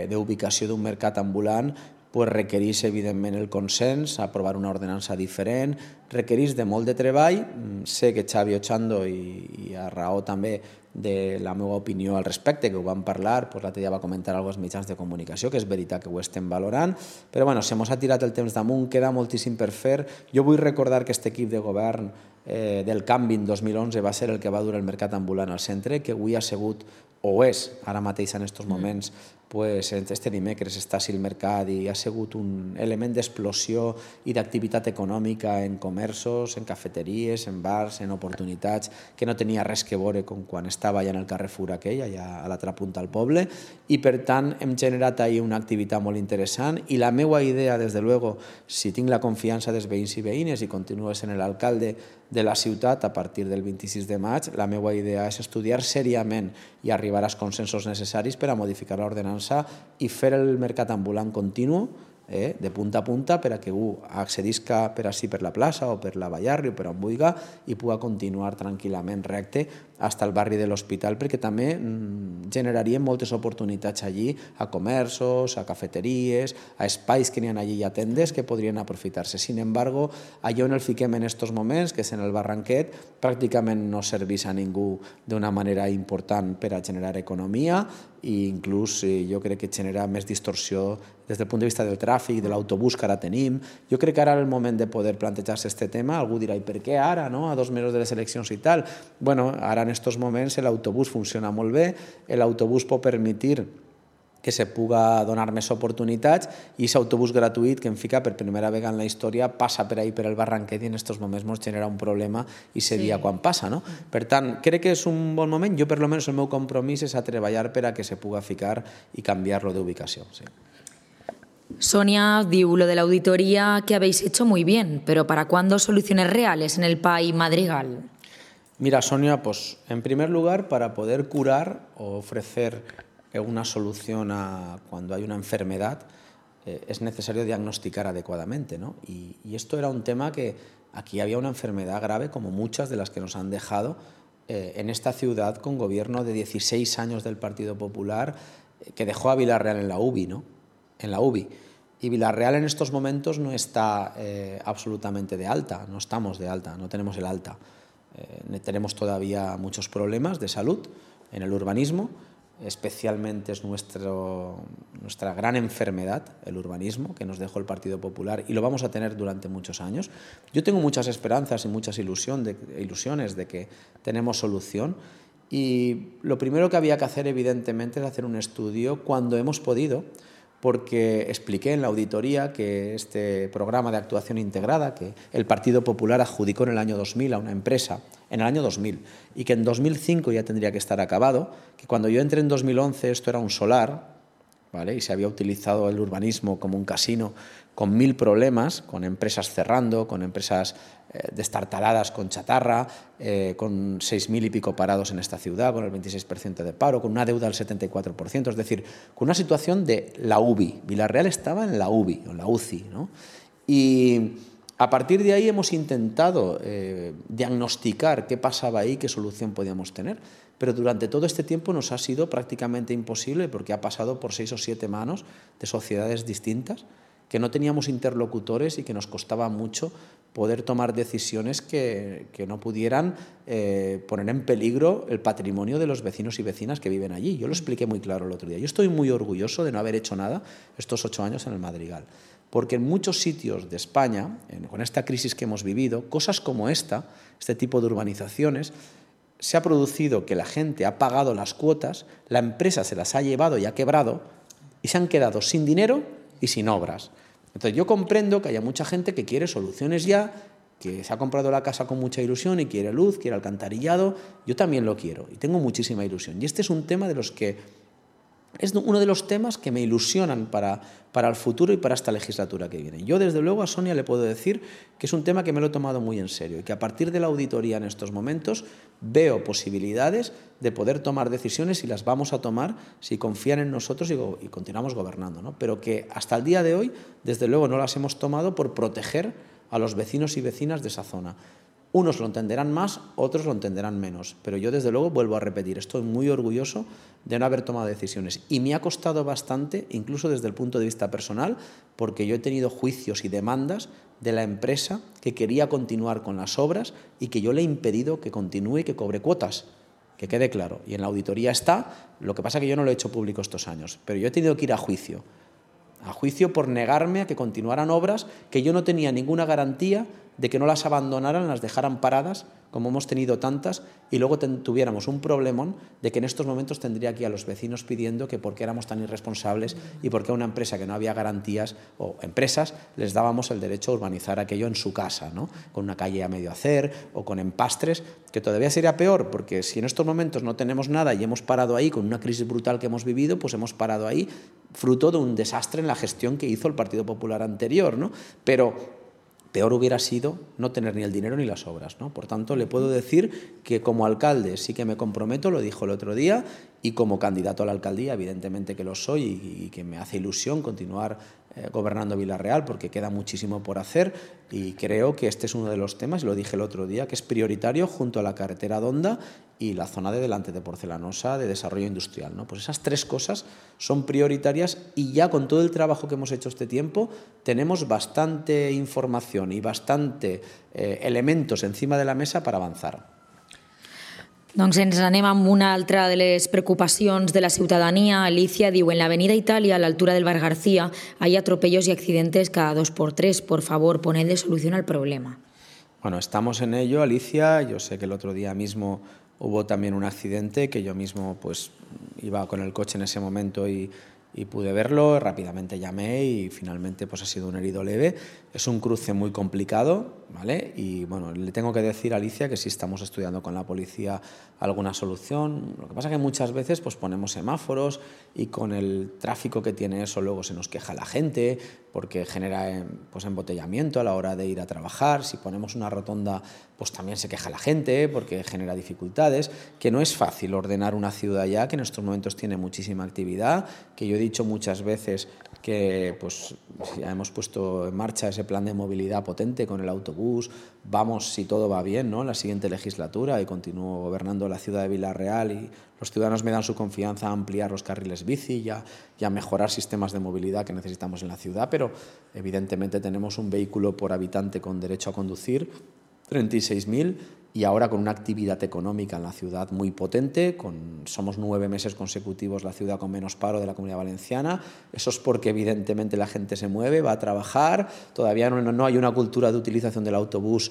d'ubicació d'un mercat ambulant pues requereix evidentment el consens, aprovar una ordenança diferent, requereix de molt de treball. Sé que Xavi Ochando i, i a raó també de la meva opinió al respecte, que ho vam parlar, pues l'altre dia va comentar alguns mitjans de comunicació, que és veritat que ho estem valorant, però bueno, se mos ha tirat el temps damunt, queda moltíssim per fer. Jo vull recordar que aquest equip de govern eh, del canvi en dos mil onze va ser el que va dur el mercat ambulant al centre, que avui ha sigut, o és, ara mateix en aquests moments, pues, este dimecres està així el mercat i ha sigut un element d'explosió i d'activitat econòmica en comerços, en cafeteries, en bars, en oportunitats, que no tenia res que veure com quan estava allà en el Carrefour aquell, allà a l'altra punta del poble, i per tant hem generat ahí una activitat molt interessant i la meva idea, des de luego, si tinc la confiança dels veïns i veïnes i continuo sent l'alcalde de la ciutat a partir del vint-i-sis de maig, la meva idea és estudiar seriament i arribar als consensos necessaris per a modificar l'ordenança i fer el mercat ambulant continu, eh, de punta a punta, per a que algú accedisca per així per la plaça o per la Ballarri o per on vulgui i pugui continuar tranquil·lament recte fins al barri de l'Hospital, perquè també mm, generaríem moltes oportunitats allí a comerços, a cafeteries, a espais que n'hi ha allí i a tendes que podrien aprofitar-se. Sin embargo, allò on el fiquem en aquests moments, que és en el Barranquet, pràcticament no serveix a ningú d'una manera important per a generar economia i inclús eh, jo crec que genera més distorsió des del punt de vista del tràfic, de l'autobús que ara tenim. Jo crec que ara és el moment de poder plantejar-se aquest tema. Algú dirà, i per què ara, no? A dos mesos de les eleccions i tal? Bueno, ara en aquests moments l'autobús funciona molt bé, l'autobús pot permetre que se puga donar més oportunitats i aquest autobús gratuït que em fica per primera vegada en la història passa per ahí per el Barranquet i en aquests moments ens genera un problema i se dia quan passa. No? Per tant, crec que és un bon moment. Jo, per lo menos, el meu compromís és a treballar per a que se puga ficar i canviar-lo d'ubicació. Sí. Sonia diu, lo de la auditoría que habéis hecho muy bien, pero ¿para cuándo soluciones reales en el P A I Madrigal? Mira, Sonia, pues en primer lugar, para poder curar o ofrecer una solución a cuando hay una enfermedad, eh, es necesario diagnosticar adecuadamente, ¿no? Y, y esto era un tema que aquí había una enfermedad grave, como muchas de las que nos han dejado eh, en esta ciudad con gobierno de dieciséis años del Partido Popular, eh, que dejó a Vila-real en la U B I, ¿no? En la U B I. Y Vila-real en estos momentos no está eh, absolutamente de alta, no estamos de alta, no tenemos el alta. Eh, tenemos todavía muchos problemas de salud en el urbanismo, especialmente es nuestro, nuestra gran enfermedad, el urbanismo, que nos dejó el Partido Popular y lo vamos a tener durante muchos años. Yo tengo muchas esperanzas y muchas ilusión de, ilusiones de que tenemos solución y lo primero que había que hacer, evidentemente, es hacer un estudio cuando hemos podido, porque expliqué en la auditoría que este programa de actuación integrada que el Partido Popular adjudicó en el año dos mil a una empresa, en el año dos mil, y que en dos mil cinco ya tendría que estar acabado, que cuando yo entré en dos mil once esto era un solar, ¿vale? Y se había utilizado el urbanismo como un casino con mil problemas, con empresas cerrando, con empresas eh, destartaladas con chatarra, eh, con seis mil y pico parados en esta ciudad, con el veintiséis por ciento de paro, con una deuda del setenta y cuatro por ciento, es decir, con una situación de la U B I. Vila-real estaba en la U B I, o en la U C I, ¿no? Y a partir de ahí hemos intentado eh, diagnosticar qué pasaba ahí, qué solución podíamos tener, pero durante todo este tiempo nos ha sido prácticamente imposible porque ha pasado por seis o siete manos de sociedades distintas, que no teníamos interlocutores y que nos costaba mucho poder tomar decisiones que, que no pudieran eh, poner en peligro el patrimonio de los vecinos y vecinas que viven allí. Yo lo expliqué muy claro el otro día. Yo estoy muy orgulloso de no haber hecho nada estos ocho años en el Madrigal, porque en muchos sitios de España, en, con esta crisis que hemos vivido, cosas como esta, este tipo de urbanizaciones, se ha producido que la gente ha pagado las cuotas, la empresa se las ha llevado y ha quebrado y se han quedado sin dinero y sin obras. Entonces yo comprendo que haya mucha gente que quiere soluciones ya, que se ha comprado la casa con mucha ilusión y quiere luz, quiere alcantarillado. Yo también lo quiero y tengo muchísima ilusión. Y este es un tema de los que es uno de los temas que me ilusionan para, para el futuro y para esta legislatura que viene. Yo, desde luego, a Sonia le puedo decir que es un tema que me lo he tomado muy en serio y que a partir de la auditoría en estos momentos veo posibilidades de poder tomar decisiones y las vamos a tomar si confían en nosotros y, y continuamos gobernando, ¿no? Pero que hasta el día de hoy, desde luego, no las hemos tomado por proteger a los vecinos y vecinas de esa zona. Unos lo entenderán más, otros lo entenderán menos, pero yo desde luego vuelvo a repetir, estoy muy orgulloso de no haber tomado decisiones y me ha costado bastante, incluso desde el punto de vista personal, porque yo he tenido juicios y demandas de la empresa que quería continuar con las obras y que yo le he impedido que continúe y que cobre cuotas, que quede claro, y en la auditoría está, lo que pasa es que yo no lo he hecho público estos años, pero yo he tenido que ir a juicio, a juicio por negarme a que continuaran obras que yo no tenía ninguna garantía de que no las abandonaran, las dejaran paradas, como hemos tenido tantas, y luego ten, tuviéramos un problemón de que en estos momentos tendría aquí a los vecinos pidiendo que por qué éramos tan irresponsables y por qué a una empresa que no había garantías, o empresas, les dábamos el derecho a urbanizar aquello en su casa, ¿no? Con una calle a medio hacer o con empastres, que todavía sería peor, porque si en estos momentos no tenemos nada y hemos parado ahí con una crisis brutal que hemos vivido, pues hemos parado ahí fruto de un desastre en la gestión que hizo el Partido Popular anterior, ¿no? Pero peor hubiera sido no tener ni el dinero ni las obras, ¿no? Por tanto, le puedo decir que como alcalde sí que me comprometo, lo dijo el otro día, y como candidato a la alcaldía, evidentemente que lo soy y, y que me hace ilusión continuar eh, gobernando Vila-real porque queda muchísimo por hacer y creo que este es uno de los temas, y lo dije el otro día, que es prioritario junto a la carretera Donda y la zona de delante de Porcelanosa de desarrollo industrial, ¿no? Pues esas tres cosas son prioritarias y ya con todo el trabajo que hemos hecho este tiempo tenemos bastante información y bastante eh, elementos encima de la mesa para avanzar. Doncs ens anem amb una altra de les preocupacions de la ciutadania. Alicia diu, en l'avenida Italia, a l'altura del Bar García, hay atropellos y accidentes cada dos por tres. Por favor, ponedle solución al problema. Bueno, estamos en ello, Alicia. Yo sé que el otro día mismo hubo también un accidente que yo mismo pues iba con el coche en ese momento y, y pude verlo, rápidamente llamé y finalmente pues ha sido un herido leve. Es un cruce muy complicado, ¿vale? Y bueno, le tengo que decir a Alicia que sí estamos estudiando con la policía alguna solución. Lo que pasa es que muchas veces pues ponemos semáforos y con el tráfico que tiene eso luego se nos queja la gente porque genera pues embotellamiento a la hora de ir a trabajar. Si ponemos una rotonda pues también se queja la gente porque genera dificultades, que no es fácil ordenar una ciudad ya que en estos momentos tiene muchísima actividad, que yo he dicho muchas veces que pues ya hemos puesto en marcha ese plan de movilidad potente con el autobús, vamos si todo va bien, ¿no?, en la siguiente legislatura y continúo gobernando la ciudad de Vila-real y los ciudadanos me dan su confianza a ampliar los carriles bici y a, y a mejorar sistemas de movilidad que necesitamos en la ciudad, pero evidentemente tenemos un vehículo por habitante con derecho a conducir, treinta y seis mil, y ahora con una actividad económica en la ciudad muy potente, con, somos nueve meses consecutivos la ciudad con menos paro de la Comunidad Valenciana. Eso es porque evidentemente la gente se mueve, va a trabajar, todavía no, no hay una cultura de utilización del autobús,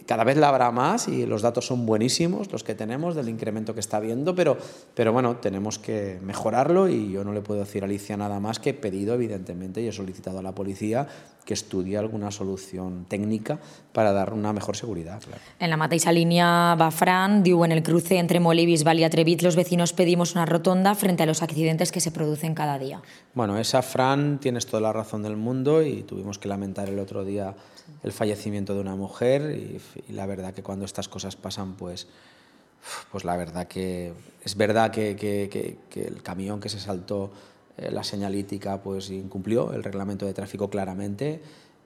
cada vez la habrá más y los datos son buenísimos los que tenemos del incremento que está habiendo, pero, pero bueno, tenemos que mejorarlo y yo no le puedo decir a Alicia nada más que he pedido evidentemente y he solicitado a la policía que estudie alguna solución técnica para dar una mejor seguridad. Claro. En la mateixa línea va Fran, diu, en el cruce entre Molí, Bisbal y Atrevit los vecinos pedimos una rotonda frente a los accidentes que se producen cada día. Bueno, esa Fran, tienes toda la razón del mundo y tuvimos que lamentar el otro día el fallecimiento de una mujer y, y la verdad que cuando estas cosas pasan pues, pues la verdad que es verdad que, que, que, que el camión que se saltó eh, la señalítica pues incumplió el reglamento de tráfico claramente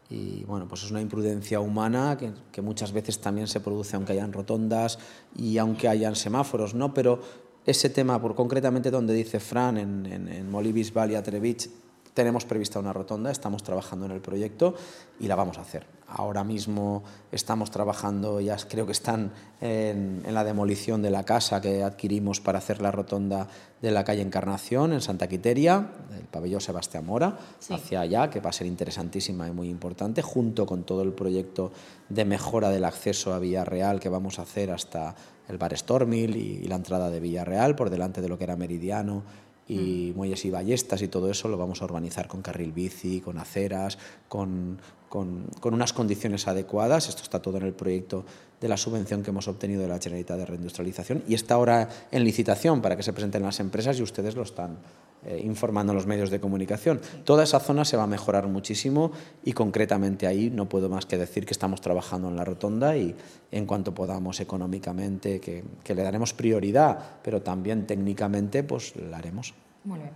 y bueno, pues es una imprudencia humana que, que muchas veces también se produce aunque hayan rotondas y aunque hayan semáforos, ¿no? Pero ese tema, por concretamente donde dice Fran, en, en, en Molí, Bisbal y Atrevich, tenemos prevista una rotonda, estamos trabajando en el proyecto y la vamos a hacer. Ahora mismo estamos trabajando, ya creo que están en, en la demolición de la casa que adquirimos para hacer la rotonda de la calle Encarnación en Santa Quiteria, el pabellón Sebastián Mora, sí, hacia allá, que va a ser interesantísima y muy importante, junto con todo el proyecto de mejora del acceso a Villarreal que vamos a hacer hasta el bar Stormil y, y la entrada de Villarreal por delante de lo que era Meridiano y Muelles y Ballestas y todo eso lo vamos a urbanizar con carril bici, con aceras, con, con, con unas condiciones adecuadas. Esto está todo en el proyecto de la subvención que hemos obtenido de la Generalitat de Reindustrialización y está ahora en licitación para que se presenten las empresas y ustedes lo están eh, informando en los medios de comunicación. Toda esa zona se va a mejorar muchísimo y concretamente ahí no puedo más que decir que estamos trabajando en la rotonda y en cuanto podamos económicamente, que, que le daremos prioridad, pero también técnicamente pues la haremos. Molt bé.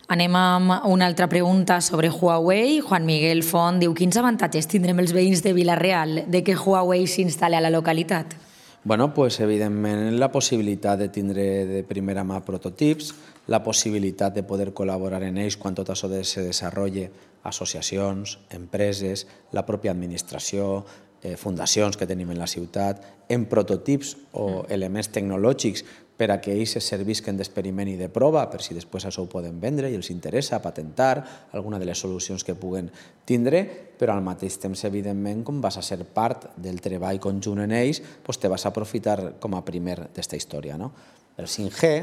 Anem amb una altra pregunta sobre Huawei. Juan Miguel Font diu, quins avantatges tindrem els veïns de Vila-real de que Huawei s'instal·li a la localitat? Bueno, pues evidentment la possibilitat de tindre de primera mà prototips, la possibilitat de poder col·laborar en ells quan tot això se desenvolupi, associacions, empreses, la pròpia administració, eh, fundacions que tenim en la ciutat, en prototips o elements tecnològics per a que ells es servisquen d'experiment i de prova, per si després això ho poden vendre i els interessa patentar alguna de les solucions que puguen tindre, però al mateix temps, evidentment, com vas a ser part del treball conjunt en ells, doncs te vas a aprofitar com a primer d'esta història, no? El cinc G,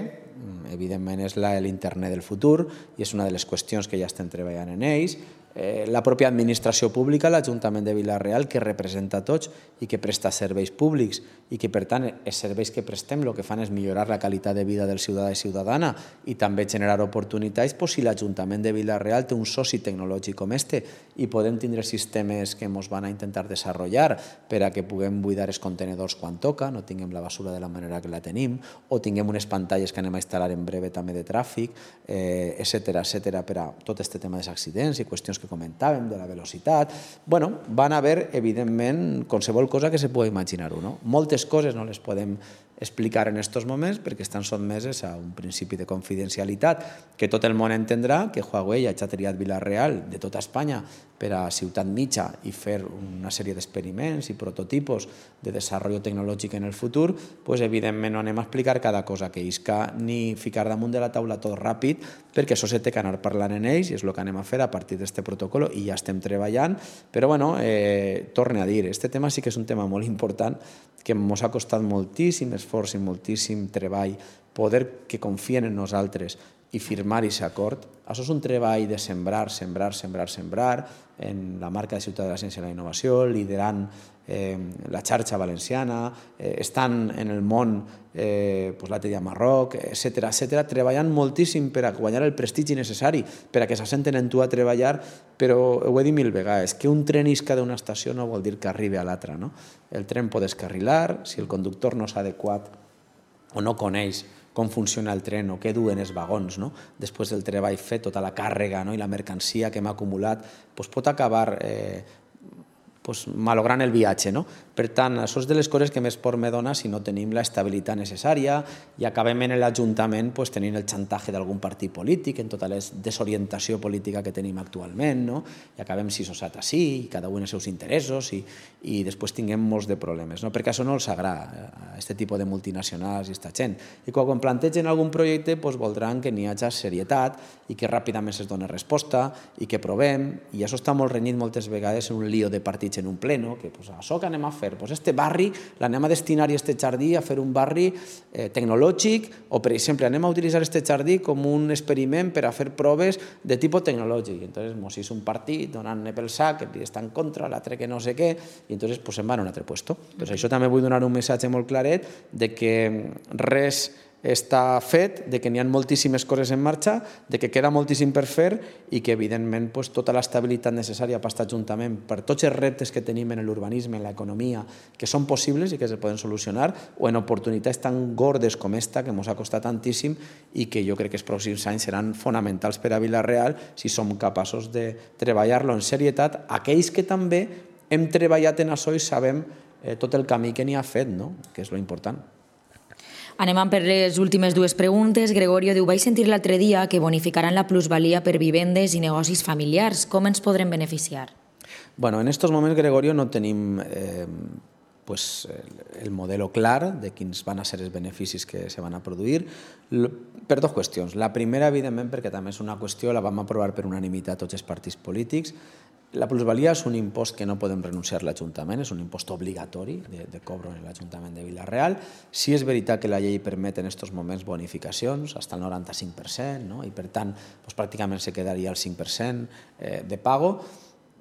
evidentment, és l'internet del futur i és una de les qüestions que ja estem treballant en ells. Eh, la pròpia administració pública, l'Ajuntament de Vila-real, que representa a tots i que presta serveis públics i que, per tant, els serveis que prestem el que fan és millorar la qualitat de vida del ciutadà i ciutadana i també generar oportunitats pues, si l'Ajuntament de Vila-real té un soci tecnològic com este i podem tindre sistemes que ens van a intentar desenvolupar per a que puguem buidar els contenedors quan toca, no tinguem la basura de la manera que la tenim, o tinguem unes pantalles que anem a instal·lar en breve també de tràfic, eh, etcètera, etcètera, per a tot aquest tema dels accidents i qüestions que comentàvem, de la velocitat. Bueno, van haver, evidentment, qualsevol cosa que se pugui imaginar-ho, no? Moltes coses no les podem explicar en aquests moments perquè estan sotmeses a un principi de confidencialitat que tot el món entendrà que Huawei ha triat Vila-real de tota Espanya per a ciutat mitja i fer una sèrie d'experiments i prototipos de desenvolupament tecnològic en el futur, pues, evidentment no anem a explicar cada cosa que isca ni ficar damunt de la taula tot ràpid perquè això se té que anar parlant en ells i és el que anem a fer a partir d'aquest protocol i ja estem treballant, però bueno, eh, torne a dir, este tema sí que és un tema molt important que ens ha costat moltíssim esforç esforç i moltíssim treball poder que confien en nosaltres i firmar aquest acord. Això és un treball de sembrar, sembrar, sembrar, sembrar en la marca de Ciutat de la Ciència i la Innovació, liderant eh, la xarxa valenciana, eh, estan en el món eh, pues, l'Atelier Marroc, etcètera, etcètera, treballant moltíssim per a guanyar el prestigi necessari, per a que s'assenten en tu a treballar, però ho he dit mil vegades, que un tren isca d'una estació no vol dir que arribi a l'altra. No? El tren pot descarrilar, si el conductor no s'ha adequat o no coneix com funciona el tren o què duen els vagons, no? Després del treball fet, tota la càrrega, no? I la mercancia que hem acumulat, doncs pot acabar eh, pues, malogrant el viatge. No? Per tant, això és de les coses que més por me dona si no tenim l'estabilitat necessària i acabem en l'Ajuntament pues, tenint el xantatge d'algun partit polític, en tota la desorientació política que tenim actualment, no? I acabem si sossat així, i cada un els seus interessos, i, i després tinguem molts de problemes, no? Perquè això no els agrada, a aquest tipus de multinacionals i aquesta gent. I quan plantegen algun projecte pues, voldran que n'hi hagi serietat i que ràpidament es doni resposta i que provem, i això està molt renyit moltes vegades en un lío de partits en un pleno, que pues, això que anem a fer, pues este barri l'anem a destinar i este jardí a fer un barri eh, tecnològic, o per exemple anem a utilitzar este jardí com un experiment per a fer proves de tipus tecnològic. I entonces mos és un partit donant-ne pel sac, que està en contra, l'altre que no sé què, i entonces pues, se'n van a un altre puesto. Entonces, això també vull donar un missatge molt claret de que res està fet, de que n'hi ha moltíssimes coses en marxa, de que queda moltíssim per fer i que, evidentment, pues, tota l'estabilitat necessària per estar juntament per tots els reptes que tenim en l'urbanisme, en l'economia, que són possibles i que se poden solucionar, o en oportunitats tan gordes com esta, que ens ha costat tantíssim i que jo crec que els pròxims anys seran fonamentals per a Vila-real si som capaços de treballar-lo en serietat, aquells que també hem treballat en això i sabem eh, tot el camí que n'hi ha fet, no? Que és lo important. Anem per les últimes dues preguntes. Gregorio diu, vaig sentir l'altre dia que bonificaran la plusvalia per vivendes i negocis familiars. Com ens podrem beneficiar? Bueno, en estos moments, Gregorio, no tenim eh, pues, el modelo clar de quins van a ser els beneficis que se van a produir per dues qüestions. La primera, evidentment, perquè també és una qüestió, la vam aprovar per unanimitat tots els partits polítics. La plusvalia és un impost que no podem renunciar a l'Ajuntament, és un impost obligatori de, de cobro en l'Ajuntament de Vila-real. Sí és veritat que la llei permet en aquests moments bonificacions, fins al noranta-cinc per cent, no? I per tant doncs, pràcticament se quedaria el cinc per cent eh, de pago.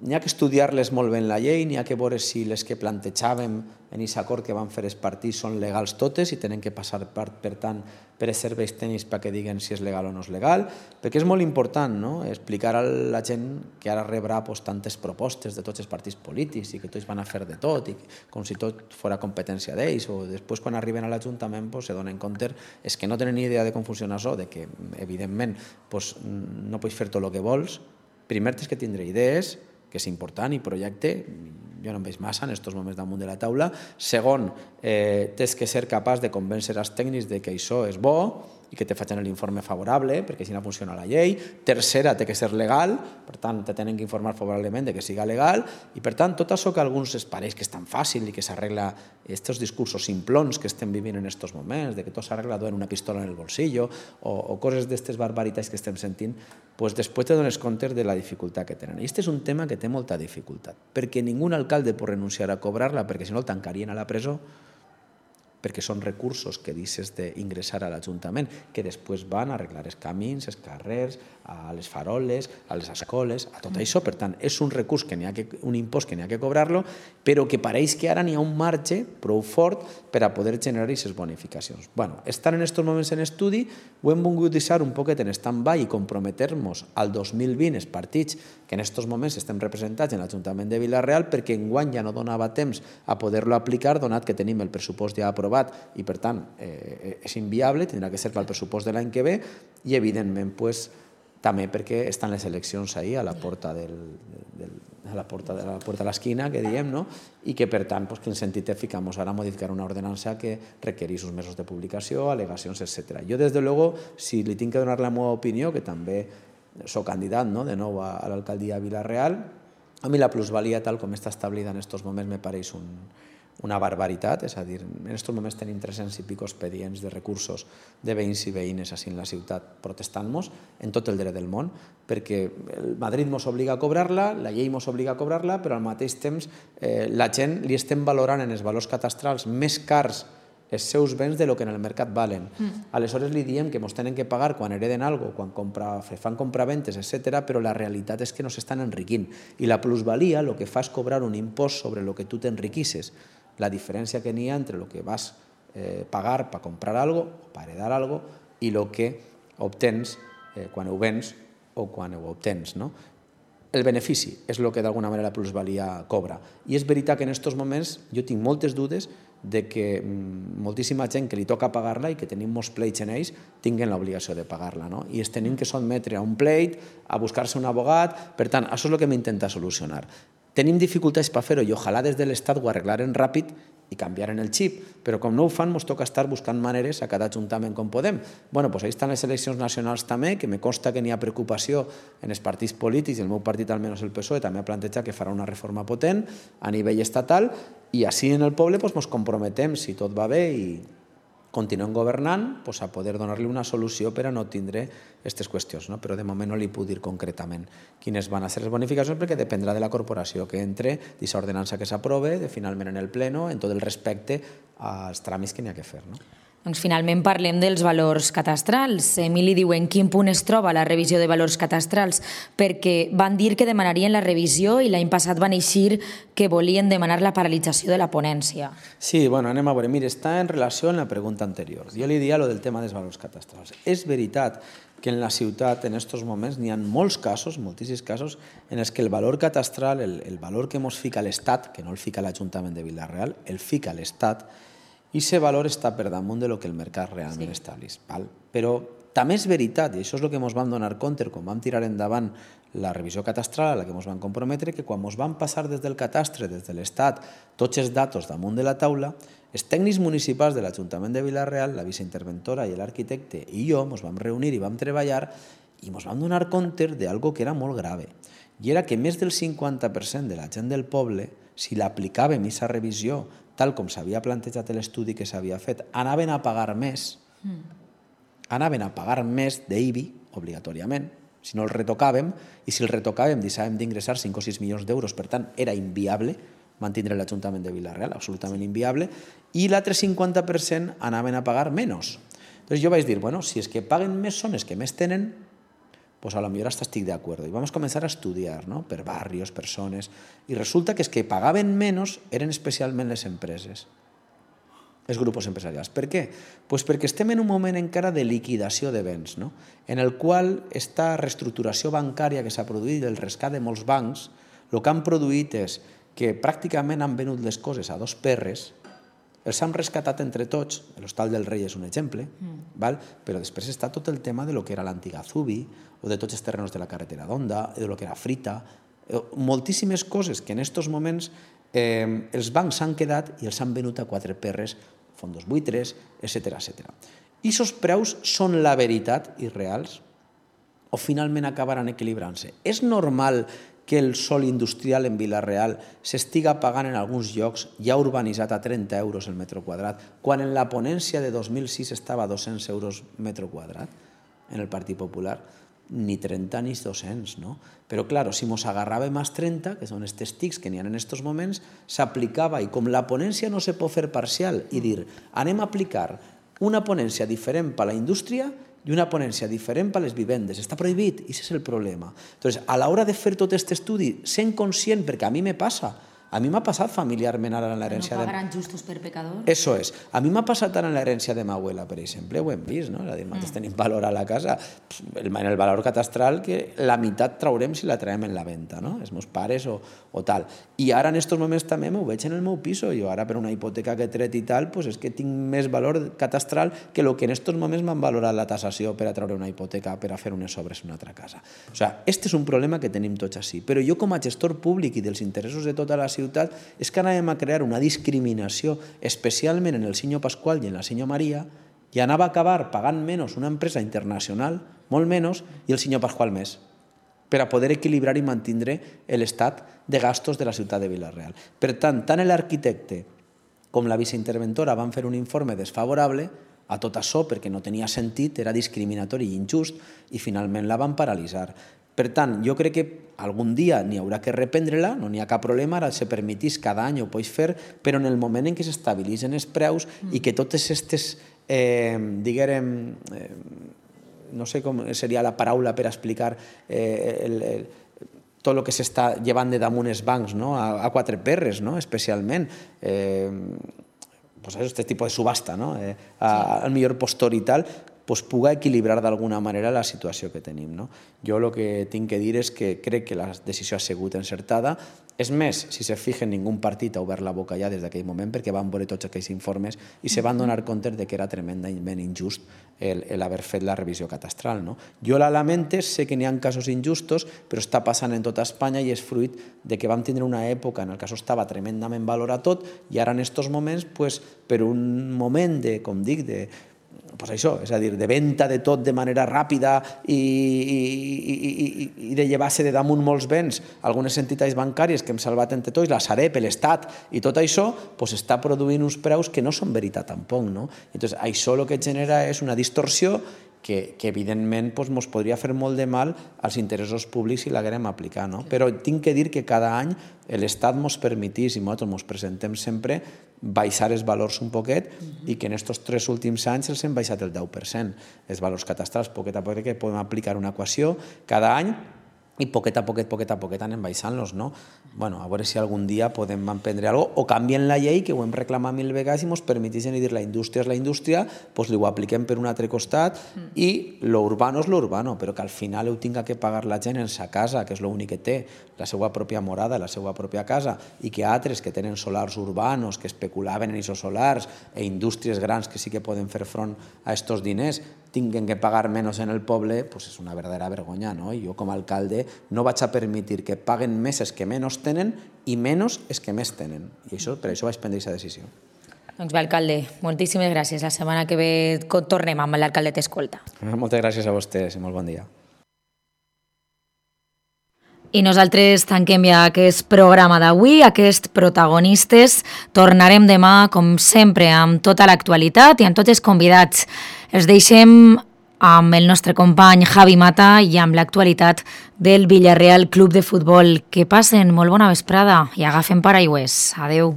N'hi ha que estudiar-les molt bé en la llei, n'hi ha que veure si les que plantejàvem en aquest acord que van fer els partits són legals totes i tenen que passar, per, per tant, per els serveis tècnics perquè diguen si és legal o no és legal, perquè és molt important, no?, explicar a la gent que ara rebrà pues, tantes propostes de tots els partits polítics i que tots van a fer de tot, i com si tot fos competència d'ells, o després quan arriben a l'Ajuntament pues, se donen compte és que no tenen ni idea de com funciona això, de que evidentment pues, no pots fer tot el que vols. Primer tens que tindre idees, que és important, i projecte, jo no em veig massa en aquests moments damunt de la taula. Segon, eh, tens que ser capaç de convèncer els tècnics de que això és bo i que te facin l'informe favorable, perquè així no funciona la llei. Tercera, té que ser legal, per tant, te tenen que informar favorablement de que siga legal, i per tant, tot això que a alguns es pareix que és tan fàcil i que s'arregla aquests discursos simplons que estem vivint en aquests moments, de que tot s'arregla duent una pistola en el bolsillo, o, o coses d'aquestes barbaritats que estem sentint, pues després te dones compte de la dificultat que tenen. I aquest és un tema que té molta dificultat, perquè ningú alcalde pot renunciar a cobrar-la, perquè si no el tancarien a la presó, perquè són recursos que deixes d'ingressar a l'Ajuntament, que després van a arreglar els camins, els carrers, a les faroles, a les escoles, a tot això. Per tant, és un recurs, que n'hi ha que, un impost que n'hi ha que cobrar-lo, però que pareix que ara n'hi ha un marge prou fort per a poder generar aquestes bonificacions. Bueno, estan en aquests moments en estudi, ho hem volgut deixar un poquet en stand-by i comprometer-nos al dos mil vint els partits que en aquests moments estem representats en l'Ajuntament de Vila-real, perquè enguany ja no donava temps a poder-lo aplicar, donat que tenim el pressupost ja aprovat i per tant eh, és inviable, tindrà que ser pel pressupost de l'any que ve, i evidentment pues, també perquè estan les eleccions ahí a la porta del, del, a la porta de la porta de l'esquina, que diem, no? I que per tant, pues, quin sentit té ficar-nos ara a modificar una ordenança que requereix uns mesos de publicació, al·legacions, etcètera. Jo, des de luego, si li tinc que donar la meva opinió, que també soc candidat, no?, de nou a, a l'alcaldia de Vila-real, a mi la plusvalia tal com està establida en aquests moments me pareix un, una barbaritat, és a dir, en aquests moments tenim tres-cents i pico expedients de recursos de veïns i veïnes així en la ciutat protestant-nos en tot el dret del món, perquè el Madrid mos obliga a cobrar-la, la llei mos obliga a cobrar-la, però al mateix temps eh, la gent li estem valorant en els valors catastrals més cars els seus béns de lo que en el mercat valen. Mm. Aleshores li diem que ens tenen que pagar quan hereden algo, quan compra, fan compraventes, etcètera, però la realitat és que no s'estan enriquint. I la plusvalia el que fa és cobrar un impost sobre el que tu t'enriquisses. La diferència que n'hi ha entre el que vas eh, pagar per comprar algo o per heredar algo i el que obtens eh, quan ho vens o quan ho obtens, no? El benefici és el que d'alguna manera la plusvalia cobra. I és veritat que en aquests moments jo tinc moltes dudes de que moltíssima gent que li toca pagar-la i que tenim molts pleits en ells tinguen l'obligació de pagar-la, no? I es tenim que sotmetre a un pleit, a buscar-se un abogat. Per tant, això és el que m'intenta solucionar. Tenim dificultats per fer-ho i ojalà des de l'Estat ho arreglaren ràpid i canviaren el xip, però com no ho fan ens toca estar buscant maneres a cada ajuntament com podem. Bueno, doncs ahí estan les eleccions nacionals també, que me consta que n'hi ha preocupació en els partits polítics, i el meu partit, almenys el P S O E, també ha plantejat que farà una reforma potent a nivell estatal, i així en el poble ens comprometem, si tot va bé i continuem governant, a poder donar-li una solució per a no tindre aquestes qüestions. Però de moment no li puc dir concretament quines van a ser les bonificacions perquè dependrà de la corporació que entre, d'aquesta ordenança que s'aprove, de finalment en el pleno, en tot el respecte als tràmits que n'hi ha que fer. Doncs finalment parlem dels valors catastrals. Emili diu en quin punt es troba la revisió de valors catastrals, perquè van dir que demanarien la revisió i l'any passat van eixir que volien demanar la paralització de la ponència. Sí, bueno, anem a veure. Mira, està en relació amb la pregunta anterior. Jo li diria lo del tema dels valors catastrals. És veritat que en la ciutat, en aquests moments, n'hi ha molts casos, moltíssims casos, en els que el valor catastral, el, el valor que ens fica l'Estat, que no el fica l'Ajuntament de Vila-real, el fica l'Estat, i aquest valor està per damunt de lo que el mercat realment sí. estableix. Val? Però també és veritat, i això és el que ens vam donar compte quan vam tirar endavant la revisió catastral a la que ens vam comprometre, que quan ens vam passar des del catastre, des de l'Estat, tots els datos damunt de la taula, els tècnics municipals de l'Ajuntament de Vila-real, la viceinterventora i l'arquitecte i jo ens vam reunir i vam treballar i ens vam donar compte d'algo que era molt grave. I era que més del cinquanta per cent de la gent del poble, si l'aplicàvem aquesta revisió tal com s'havia plantejat l'estudi que s'havia fet, anaven a pagar més, mm. anaven a pagar més d'I B I, obligatòriament, si no el retocàvem, i si el retocàvem deixàvem d'ingressar cinc o sis milions d'euros, per tant, era inviable mantindre l'Ajuntament de Vila-real, absolutament inviable, i l'altre cinquanta per cent anaven a pagar menys. Llavors jo vaig dir, bueno, si és que paguen més són els que més tenen, pues a lo millor hasta estic de acuerdo. I vam començar a estudiar, ¿no? Per barrios, per zones, i resulta que els que pagaven menys eren especialment les empreses, els grups empresarials. Per què? Pues perquè estem en un moment encara de liquidació de béns, no? En el qual aquesta reestructuració bancària que s'ha produït, el rescat de molts bancs, el que han produït és que pràcticament han venut les coses a dos perres, els han rescatat entre tots, l'Hostal del Rei és un exemple, mm. val? Però després està tot el tema de lo que era l'antiga Zubi, o de tots els terrenos de la carretera d'Onda, de lo que era Frita, moltíssimes coses que en aquests moments eh, els bancs s'han quedat i els han venut a quatre perres, fondos buitres, etcètera, etcètera. I aquests preus són la veritat i reals o finalment acabaran equilibrant-se? És normal que el sòl industrial en Vila-real s'estiga pagant en alguns llocs ja urbanitzat a trenta euros el metre quadrat, quan en la ponència de dos mil sis estava a dos-cents euros metre quadrat en el Partit Popular? Ni trenta ni dos-cents, no? Però, clar, si ens agarràvem als trenta, que són els testics que n'hi ha en aquests moments, s'aplicava, i com la ponència no se pot fer parcial, i dir, anem a aplicar una ponència diferent per a la indústria i una ponència diferent per a les vivendes. Està prohibit, i aquest és el problema. Entonces, a l'hora de fer tot aquest estudi, sent conscient, perquè a mi me passa, a mi m'ha passat familiarment ara en l'herència de... No pagaran justos per pecadors? Eso és. A mi m'ha passat ara en l'herència de ma abuela, per exemple, ho hem vist, no? És a dir, nosaltres tenim valor a la casa, en el valor catastral, que la meitat traurem si la traiem en la venda, no? Els meus pares o, o tal. I ara en aquests moments també m'ho veig en el meu piso. Jo ara per una hipoteca que he tret i tal, pues és que tinc més valor catastral que el que en aquests moments m'han valorat la tasació per a treure una hipoteca, per a fer unes obres en una altra casa. O sigui, este és un problema que tenim tots així. Però jo com a gestor públic i dels interessos de tota la ciutat és que anàvem a crear una discriminació, especialment en el senyor Pasqual i en la senyor Maria, i anava a acabar pagant menys una empresa internacional, molt menys, i el senyor Pasqual més, per a poder equilibrar i mantindre l'estat de gastos de la ciutat de Vila-real. Per tant, tant l'arquitecte com la viceinterventora van fer un informe desfavorable a tot això perquè no tenia sentit, era discriminatori i injust, i finalment la van paralitzar. Per tant, jo crec que algun dia n'hi haurà que reprendre-la, no n'hi ha cap problema, ara se permetís cada any ho pots fer, però en el moment en què s'estabilitzen els preus i que totes aquestes, eh, diguem, eh, no sé com seria la paraula per explicar eh, el, el, tot el que s'està llevant de damunt els bancs, no? a, a quatre perres, no? especialment. Eh, pues això, este tipus de subhasta, no? eh, a, al millor postor i tal, pues puga equilibrar d'alguna manera la situació que tenim. No? Jo el que tinc que dir és que crec que la decisió ha sigut encertada. És més, si se fijen, ningú partit ha obert la boca ja des d'aquell moment perquè van veure tots aquells informes i se van donar compte de que era tremendament injust el, el haver fet la revisió catastral. No? Jo la lamente, sé que n'hi ha casos injustos, però està passant en tota Espanya i és fruit de que vam tindre una època en què això estava tremendament valorat tot i ara en aquests moments, pues, per un moment de, com dic, de pues això, és a dir, de venda de tot de manera ràpida i, i, i, i de llevar-se de damunt molts béns, algunes entitats bancàries que hem salvat entre tots, la Sareb, l'Estat i tot això, pues està produint uns preus que no són veritat tampoc. No? Entonces, això el que genera és una distorsió que, que evidentment pues, mos podria fer molt de mal als interessos públics si l'haguérem aplicar. No? Però tinc que dir que cada any l'Estat mos permetís, i nosaltres mos presentem sempre, baixar els valors un poquet i que en aquests tres últims anys els hem baixat el deu per cent. Els valors catastrals, poquet a poquet, que podem aplicar una equació cada any i poquet a poquet, poquet a poquet anem baixant-los, no? Bueno, a veure si algun dia podem emprendre alguna cosa o canvien la llei, que ho hem reclamat mil vegades i ens permeteixen dir la indústria és la indústria, doncs li ho apliquem per un altre costat i lo urbano és lo urbano, però que al final ho tinga que pagar la gent en sa casa, que és l'únic que té, la seva pròpia morada, la seva pròpia casa, i que altres que tenen solars urbanos, que especulaven en aquests solars, e indústries grans que sí que poden fer front a aquests diners, tinguen que pagar menys en el poble, pues és una verdadera vergonya, no? I jo com a alcalde no vaig a permetre que paguen més els que menys tenen i menys els que més tenen. I això, per això vaig prendre aquesta decisió. Doncs bé, alcalde, moltíssimes gràcies. La setmana que ve tornem amb l'alcalde t'escolta. Moltes gràcies a vostès i molt bon dia. I nosaltres tanquem ja aquest programa d'avui, aquests protagonistes. Tornarem demà, com sempre, amb tota l'actualitat i amb tots els convidats. Els deixem amb el nostre company Javi Mata i amb l'actualitat del Villarreal Club de Futbol. Que passen molt bona vesprada i agafen paraigües. Adeu.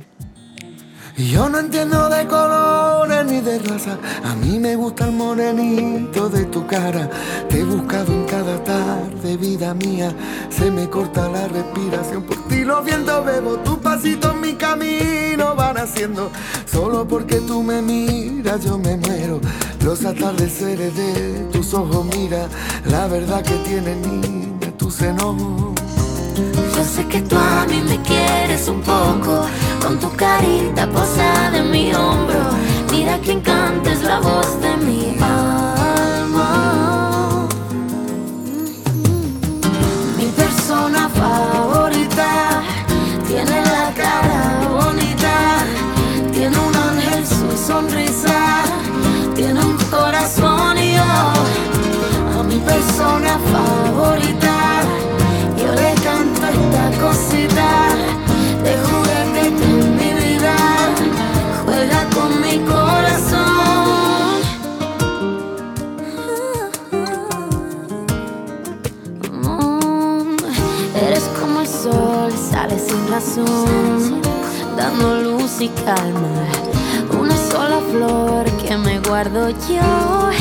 Yo no entiendo de colores ni de raza, a mí me gusta el morenito de tu cara. Te he buscado en cada tarde, vida mía, se me corta la respiración. Por ti los vientos bebo, tus pasitos en mi camino van haciendo. Solo porque tú me miras yo me muero. Los atardeceres de tus ojos, mira, la verdad que tiene niña tu seno. Yo sé que tú a mí me quieres un poco, con tu carita posada en mi hombro. Mira que encantes la voz de mi alma. Mi persona favorita tiene la cara bonita, tiene un ángel su sonrisa, tiene un corazón y yo a mi persona favorita yo le canto esta cosita de juguete que en mi vida juega con mi corazón. Mm, eres como el sol, sale sin razón, dando luz y calma. Una sola flor que me guardo yo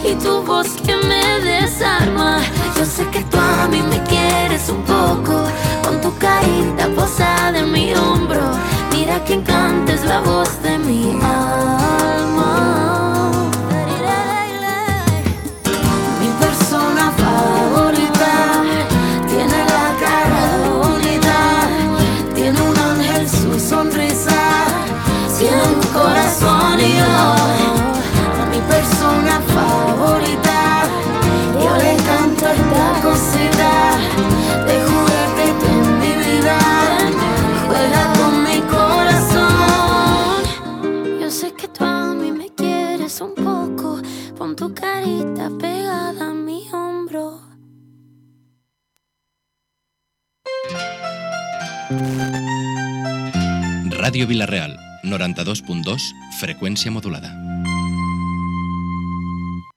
y tu voz que me desarma. Yo sé que tú a mí me quieres un poco, con tu carita posada en mi hombro. Mira que encantes la voz de mi alma. Mi persona favorita tiene la cara bonita, tiene un ángel su sonrisa, tiene un corazón y yo a mi persona favorita yo le canto esta cosita de juguete que en mi vida juega con mi corazón. Yo sé que tú a mí me quieres un poco, pon tu carita pegada a mi hombro. Ràdio Vilareal, noranta-dos punt dos, freqüència modulada.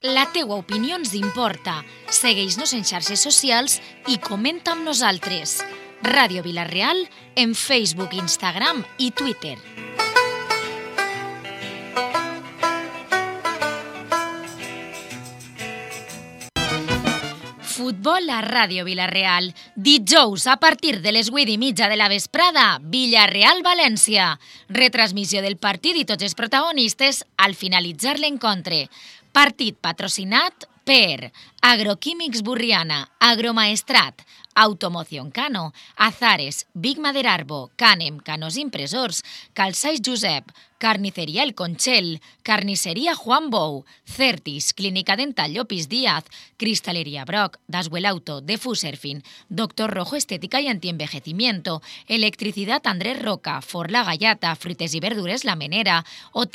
La teua opinió ens importa. Segueix-nos en xarxes socials i comenta amb nosaltres. Ràdio Vila-real en Facebook, Instagram i Twitter. Futbol a Ràdio Vila-real. Dijous, a partir de les vuit i mitja de la vesprada, Villarreal-València. Retransmissió del partit i tots els protagonistes al finalitzar l'encontre. Partit patrocinat per Agroquímics Burriana, Agromaestrat, Automoción Cano, Azares, Big Maderarbo, Canem, Canos Impresors, Calçais Josep, Carniceria El Conchel, Carnisseria Juan Bou, Certis, Clínica Dental Llopis Díaz, Cristalería Broc, Daswell Auto, Defuserfin, Doctor Rojo Estética y Antienvejecimiento, Electricidad Andrés Roca, Forla Gallata, Fruites y Verduras La Menera,